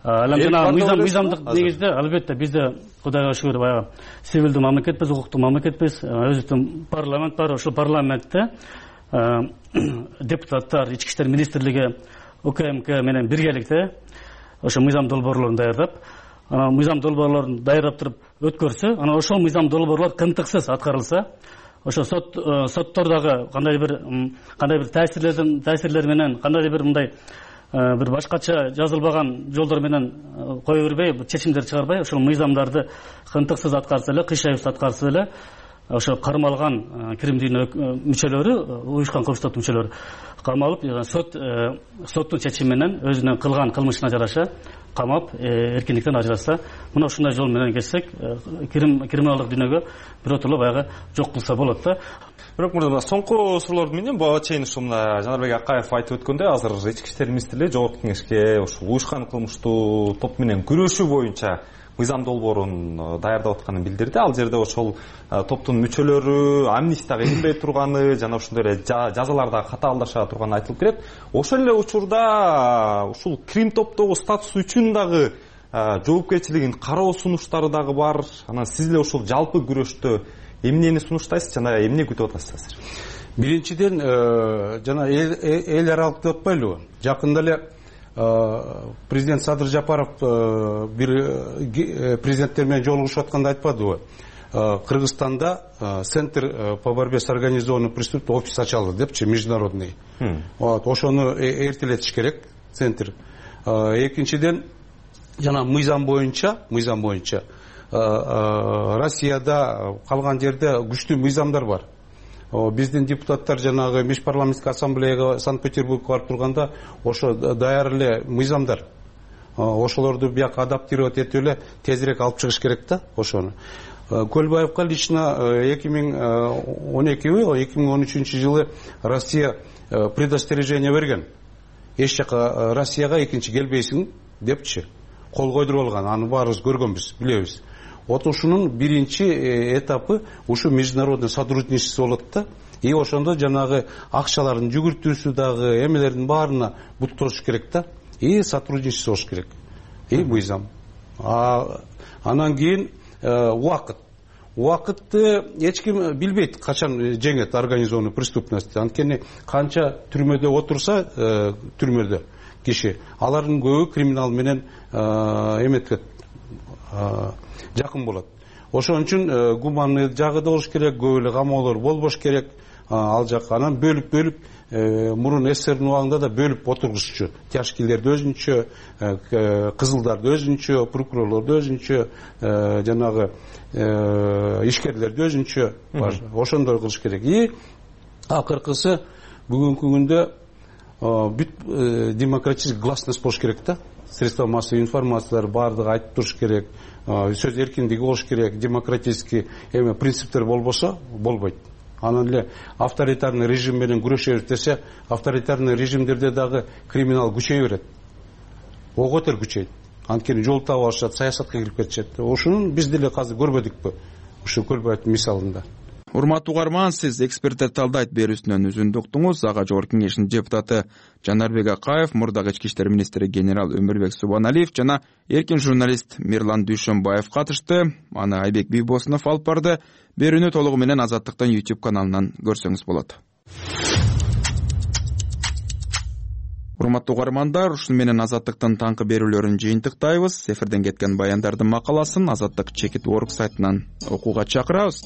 жана мыйзамдык негизде албетте бизде Кудайга шүгүр баягы сивилдүү мамлекетпиз, укуктуу мамлекетпиз, өзүбүздүн парламент бар, ошол парламентте депутаттар, ички иштер министрлиги, УКМК менен биргеликте ошо мыйзам долбоорлорун даярдап, анан мыйзам долбоорлорун даярдап туруп өткөрсө, анан ошол мыйзам долбоорлор кынтыксыз аткарылса, ошо сот соттордогу кандай бир кандай бир таасирлердин таасирлери менен, кандай бир мындай бир башкача жазылбаган жолдор менен кое бербей, чечимдер чыгарбай, ошол мыйзамдарды кынтыксыз аткарса эле, кыйшайсыз аткарса эле, ошо кармалган кирим дүйнө мүчөлөрү, уюшкан кылмыш мүчөлөрү камалып, сот соттун чечими менен өзүнүн кылган кылмышына жараша камап, эркиндиктен ажыраса, мына ушундай жол менен кетсек, криминалдык дүйнөгө биротоло баягы жок кылса болот да. Бирок мурда соңку суроолорду менен буга чейин ушу мына Жанарбек Акаев айтып өткөндөй, азыр ички иштер министрлиги Жогорку Кеңешке ушул уюшкан кылмыштуу топ менен күрөшүү боюнча мыйзам долбоорун даярдап атканын билдирди. Ал жерде ошол топтун мүчөлөрү амнистияга илинбей турганы жана ошондой эле жазаларда катаалдаша турганы айтылып келет. Ошол эле учурда ушул крим топтогу статус үчүн дагы жоопкерчилигин кароо сунуштары дагы бар. Анан сиз эле ушул жалпы күрөштө эмнени сунуштайсыз жана эмне күтүп атасыздар? Биринчиден жана эл аралык деп атпайлыбы? Жакында эле президент Садыр Жапаров бир президенттер менен жолугушуп атканда айтпадыбы? Кыргызстанда центр по борьбе с организованным преступностью офис ачылды депчи, международный. Вот, ошону эртелетиш керек, центр. Экинчиден, жана мыйзам боюнча, мыйзам боюнча Россияда калган жерде күчтүү мыйзамдар бар. Биздин депутаттар жанагы межпарламенттик ассамблеяга Санкт-Петербургга барып турганда ошо даяр эле мыйзамдар. Ошолорду бияка адаптировать этип эле тезирээк алып чыгыш керек да ошону. Көлбаевка лично эки миң он экиби, эки миң он үчүнчү жылы Россия предостережение берген. Эч жака Россияга экинчи келбейсиң депчи. Кол койдуруп алган, аны баарыбыз көргөнбүз, билебиз. Вот ушунун биринчи этапы ушу международный сотрудничество болот да. И ошондо жанагы акчалардын жүгүртүүсү дагы эмелердин баарына бут тосуш керек да. И сотрудничество болуш керек. И мыйзам. Анан кийин убакыт. Убакытты эч ким билбейт качан жеңет организованный преступность. Анткени канча түрмөдө отурса, түрмөдө киши, алардын көбү криминал менен эметет, жакын болот. Ошон үчүн гуманный жагы да болуш керек, көп эле камоолор болбош керек. Ал жак анан бөлүп-бөлүп мурун СССРдин убагында да бөлүп отургузчу. Тяжкийлерди өзүнчө, кызылдарды өзүнчө, прокурорлорду өзүнчө, жанагы ишкерлерди өзүнчө бар. Ошондой кылыш керек. И акыркысы бүгүнкү күндө бүт демократический гласность болуш керек да. Средства массовой информациялар баардыгы айтып туруш керек. Сөз эркиндиги болуш керек, демократический эме принциптер болбосо болбойт. Анан эле авторитарный режим менен күрөшөбүз десе, авторитарный режимдерде дагы криминал күчөйө берет. Оготер күчөйт. Анткени жол таап алышат, саясатка кирип кетишет. Ошону биз деле азыр көрбөдүкпү? Ушу Көлбаевдин мисалында. урматтуу угарман, сиз эксперттер талдайт берүүсүнөн үзүндү уктуңуз. Ага жогорку кеңештин депутаты Жанарбек Акаев, мурдагы ички иштер министри генерал Өмүрбек Субаналиев жана эркин журналист Мирлан Дүйшөнбаев катышты. Аны Айбек Бийбосунов алып барды. Берүүнү толугу менен Азаттыктын YouTube каналынан көрсөңүз болот. Урматтуу угармандар, ушуну менен Азаттыктын таңкы берүүлөрүн жыйынтыктайбыз. Эфирден кеткен баяндардын макаласын Азаттык чекит орг сайтынан окууга чакырабыз.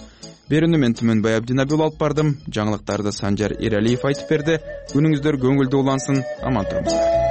Берүүнү мен Түмөнбай Абдинабил алып бардым. Жаңылыктарды Санжар Эралиев айтып берди. Күнүңүздөр көңүлдүү улансын. Аман туруңуздар.